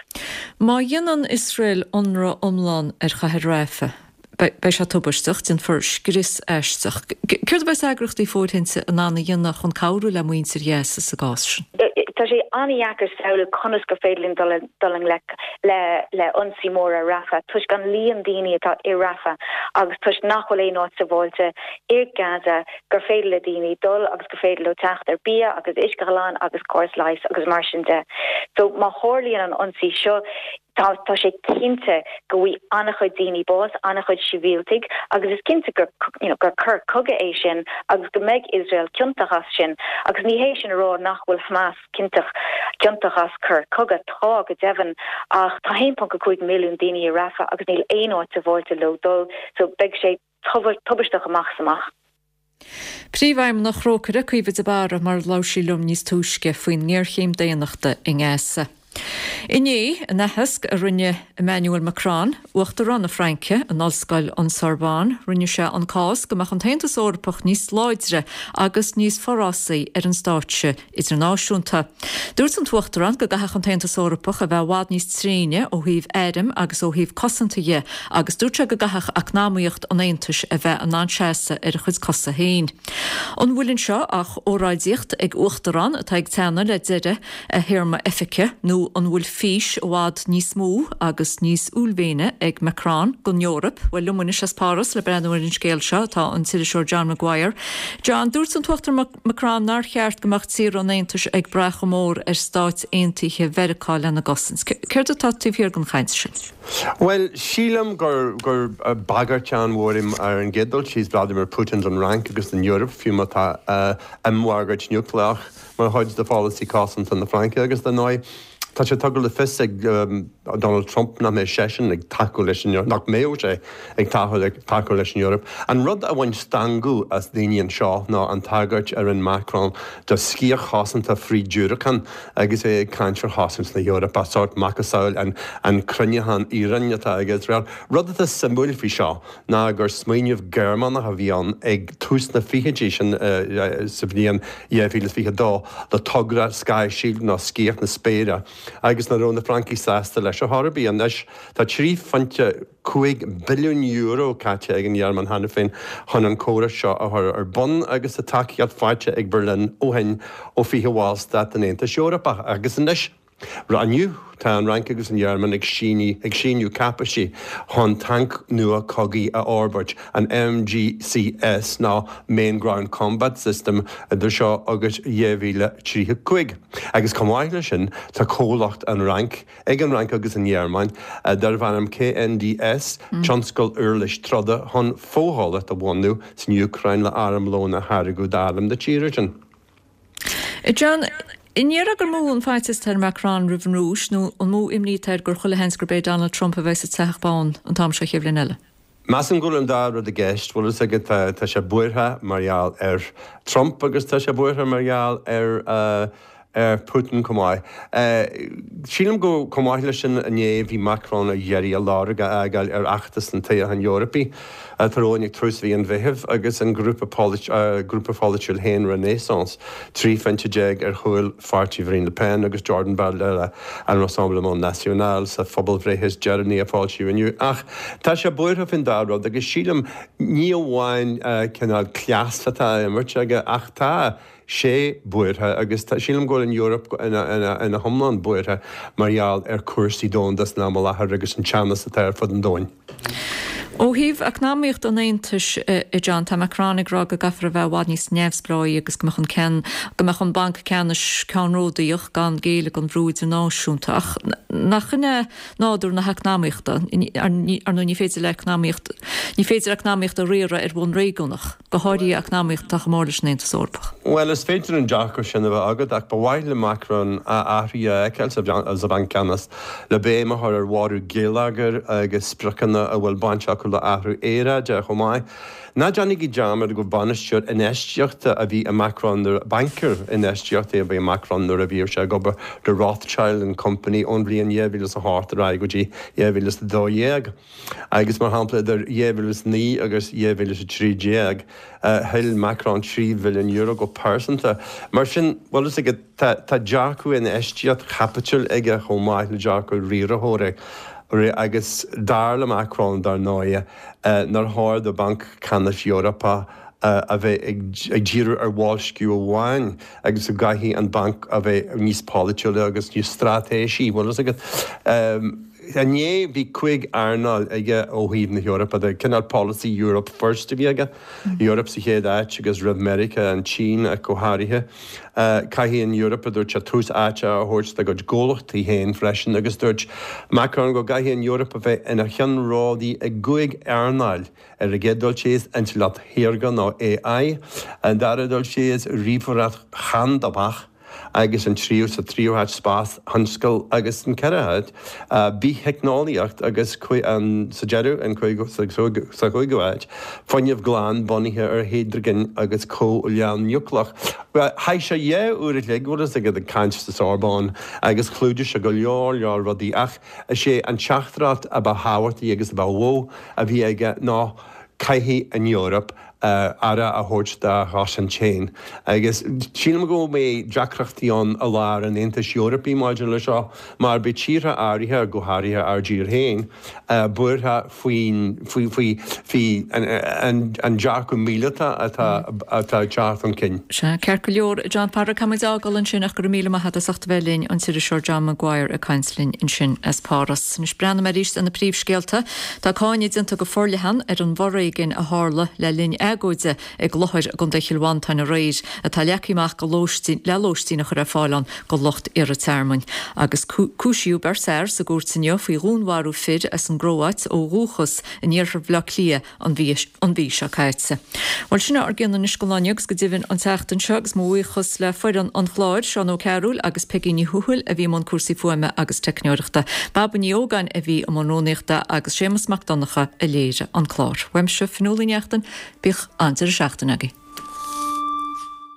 Má dhéanann Iosrael ionradh iomlán ar chathair Rafah, beidh sé tubaisteach, déanfar scrios aisteach. Céard a bheas eagraíochtaí fóirithinte in ann a dhéanamh chun cabhrú le muintir Ghaza sa gcás sin? Tá sé an-dheacair samhlú conas gur féidir linn dul dul i ngleic le le ionsaí mór ar Rafah toisc an líon daoine atá i Rafah agus toisc nach bhfuil aon áit sábháilte i Gaza gur féidir le daoine dul agus gur féidir leo teacht ar bia agus uisce glan agus córas leighis agus mar sin de. So má tharlaíonn an ionsaí seo, tá tá sé cinnte go bhfaighidh an-chuid daoine bás, an-chuid sibhialtaigh agus is cinnte gur you know gur coir cogaidh é sin agus go mbeidh Iosrael ciontach as sin. Agus ní hé sin a rá nach bhfuil Hamas ciontach ciontach as coir cogaidh, tá go deimhin, ach tá haon ponc a cúig milliún daoine i Rafah agus níl aon áit sábháilte leo dul so beidh sé tubaisteach amach is amach. Príomhfheidhmeannach Thrócaire, Caoimhe de Barra, mar a labhair sí liom níos túisce faoin ngéarchéim daonnachta i nGaza. Inné, in aitheasc a rinne Emmanuel Macron, Uachtarán na Fraince, in Ollscoil an Sorbonne, rinne sé an cás go mbeadh an tAontas Eorpach níos láidre agus níos forásaí ar an stáitse idirnáisiúnta. Dúirt an tUachtarán go gcaithfeadh an tAontas Eorpach a bheith i bhfad níos tréine ó thaobh airm agus ó thaobh cosanta dhe agus dúirt sé go gcaithfeadh eacnamaíocht an Aontais a bheith in ann seasamh ar a chuid cosa féin. An bhfuil anseo ach óráidíocht ag Uachtarán atá ag teannadh le deireadh a théarma oifige nó an bhfuil fís i bhfad níos mó agus níos uaillmhéine ag Macron don Eoraip? Bhuel, liom anois as Páras le breathnú ar an scéal seo tá an t-iriseoir John Maguire. John, dúirt an tUachtarán Macron nár cheart go mbeadh tíortha an Aontais ag brath chomh mór ar Stáit Aontaithe Mheiriceá lena gcosaint. Céard atá taobh thiar den chaint sin? Bhuel, sílim gur gur bagairt an-mhór ar an gcéad dul síos Vladimir Putin don Fhrainc agus don Eoraip, fiú má tá imbhagairt núicléach mar chuid de pholasaí cosanta na Fraince agus dar ndóigh tá sé tugtha le fios ag Donald Trump nach mbeidh seisean ag tacú leis an nach mbeadh sé ag tacú leis an Eoraip. An rud a bhain stangadh as daoine anseo ná an tagairt a rinne Macron do sciath chosanta frith-diúracán agus é ag caint ar chosaint na hEorpa, sórt macasamhail an an cruinneachán iarainn atá ag Iosrael. Rud atá suimiúil faoi seo ná gur smaoineamh Gearmánach a bhí ann ag tús na fichidí sin sa bhliain dhá mhíle is fiche a dó le togra Sky Shield nó Sciath na Spéire agus nach raibh na Francaigh sásta leis ar chor ar bith. Anois tá trí phointe cúig billiún euro caite ag an Ghearmáin cheana féin chun an córas seo a chur ar bun agus tá tacaíocht faighte ag Berlin ó shin ó fiche bhallstát den Aontas Eorpach. Agus anois, inniu, tá an Fhrainc agus an Ghearmáin ag síniú ag síniú cáipéisí chun tanc nua cogaidh a fhorbairt, an M G C S nó Main Ground Combat System, idir seo agus dhá mhíle tríocha cúig. Agus chomh maith leis sin, tá comhlacht an Fhrainc ag an Fhrainc agus an Ghearmáin darb ainm K N D S, tionscal uirlis troda chun fochomhlacht a bhunú san Úcráin le armlón a tháirgeadh d'arm na tíre sin. John, an ndéarfá gur mó an faitíos atá ar Macron roimh an Rúis nó an mó imní atá air gur chuile sheans gurb é Donald Trump a bheidh sa Teach Bán an t-am seo chéad bhliain eile? Measaim go bhfuil an dá rud i gceist, bhfuil fhios agat, tá sé buartha mar gheall ar Trump agus tá sé buartha mar gheall ar ar Putin chomh maith. Sílim go chomh maith leis sin inné bhí Macron ag iarraidh a lorg a fhágáil ar fheachtas an toghcháin Eorpaigh atá romhainn ag tús mhí an Mheithimh agus an grúpa grúpa pholaitiúil féin Renaissance trí phointe déag ar chúl pháirtí Mharine Le Pen agus Jordan Bardella an Rassemblement National sa phobalbhreith is deireanaí a foilsíodh inniu. Ach tá sé buartha faoin dá rud agus sílim ní amháin cineál cleas atá á imirt aige ach tá sé buartha agus tá sílim go bhfuil an Eoraip ina hiomlán buartha mar gheall ar chúrsaí domhanda san am i láthair agus an teannas atá ar fud an domhain. Ó thaobh eacnamaíocht an Aontais a John, tá Macron ag rá go gcaithfear a bheith i bhfad níos neamhspleáí agus go mbeadh an ceann go mbeadh an banc ceannais ceannródaíoch gan géilleadh don bhrú idirnáisiúnta ach nach in é nádúr na heacnamaíochta ar ndóigh ní féidir le eacnamaíocht ní féidir eacnamaíocht a riaradh ar bhonn réigiúnach, go háirithe eacnamaíocht atá chomh mór leis an Aontas Eorpach. Bhuel is féidir an dearcadh sin a bheith agat ach ba mhaith le Macron athruithe a fheiceáil sa bhanc ceannais le béim a chur ar mhargadh geilleagair agus spriocanna a bhfuil baint acu le athrú aeráide chomh maith. Ná déanaigí dearmad gur bainisteoir infheistíochta a bhí i Macron nuair bancaire infheistíochta a bhí i Macron nuair a bhí sé ag obair do Rothschild and Company ón bhliain dhá mhíle a hocht ar aghaidh go dtí dhá mhíle a dó dhéag. Agus mar shampla idir dhá mhíle is naoi agus dhá mhíle is a trí déag thuill Macron trí bhilliún euro go pearsanta. Mar sin bhfuil fhios agat tá dearcadh infheistíocht chaipitil aige chomh maith le dearcadh riarthóra. Agus dar le Macron dar ndóigh nár chóir do Bhanc Ceannais Eorpach a bheith ag díriú ar bhoilsciú amháin agus go gcaithfidh an banc a bheith níos polaitiúla agus níos straitéisí bhfuil fhios agat. Inné bhí cúig earnáil aige ó thaobh na hEorpa de, cineál polasaí Europe First a bhí aige, Eoraip sa chéad áit agus roimh Meiriceá, an tSín ach go háirithe. Caithfidh an Eoraip a dúirt sé tús áite a thabhairt dá gcuid comhlachtaí féin freisin agus dúirt Macron go gcaithfidh an Eoraip a bheith ina cheannródaí i gcúig earnáil ar an gcéad dul síos intleacht shaorga nó A I, an dara dul síos ríomhaireacht chandamach, agus an tríú sa tríú háit spás-thionscal agus an ceathrú háit bith-theicneolaíocht agus sa deireadh an sa chúigiú háit fuinneamh glan bunaithe ar hidrigin agus comhleá núicléach. Chaith sé dhá uair a chloig bhfuil fhios agat ag caint sa Sorbonne agus chlúdaigh sé go leor leor rudaí ach is é an teachtaireacht a ba thábhachtaí agus a ba mhó a bhí aige ná caithfidh an Eoraip aire a thabhairt dá chosaint féin. Agus sílim go mbeidh deacrachtaí ann i lár an Aontais Eorpaigh maidir le seo, mar beidh tíortha áirithe, go háirithe ár dtír féin, buartha faoin faoi faoi faoi an dearcadh míleata atá atá ag teacht chun cinn. Sea, ceart go leor, a John Phádraig, caithfidh muid a fhágáil ansin ach go raibh míle maith agat as ucht a bheith linn, an t-iriseoir John Maguire ag caint linn ansin as Páras. Anois breathnóidh mé arís ar na príomhscéalta. Tá cáineadh déanta go forleathan ar an bhforéigean a tharla le linn agóide i gClochar i gContae Chill Mhantáin aréir, atá leagtha amach go lóistín le lóistín a chur ar fáil ann go lucht iarrtha tearmainn. Agus cúisíodh beirt fhear sa gcúirt inniu faoi dhúnmharú fir as an gCróáit ó dhúchas in iarthar Bhaile Átha Cliath an mhí seo caite. Bhuel, sin ár gcion anois don lá inniu agus go deimhin an tseachtain seo agus mo bhuíochas le foireann an chláir, Seán Ó Cearúil agus Peigí Ní Thuathail a bhí i mbun cúrsaí fuaime agus teicneoireachta, Baba Ní Ógáin a bhí i mbun rúnaíochta agus Séamus Mac Donncha a léirigh an clár. Uaimse, Fionnuala Ní Neachtain, bíodh an-deireadh seachtaine agaibh.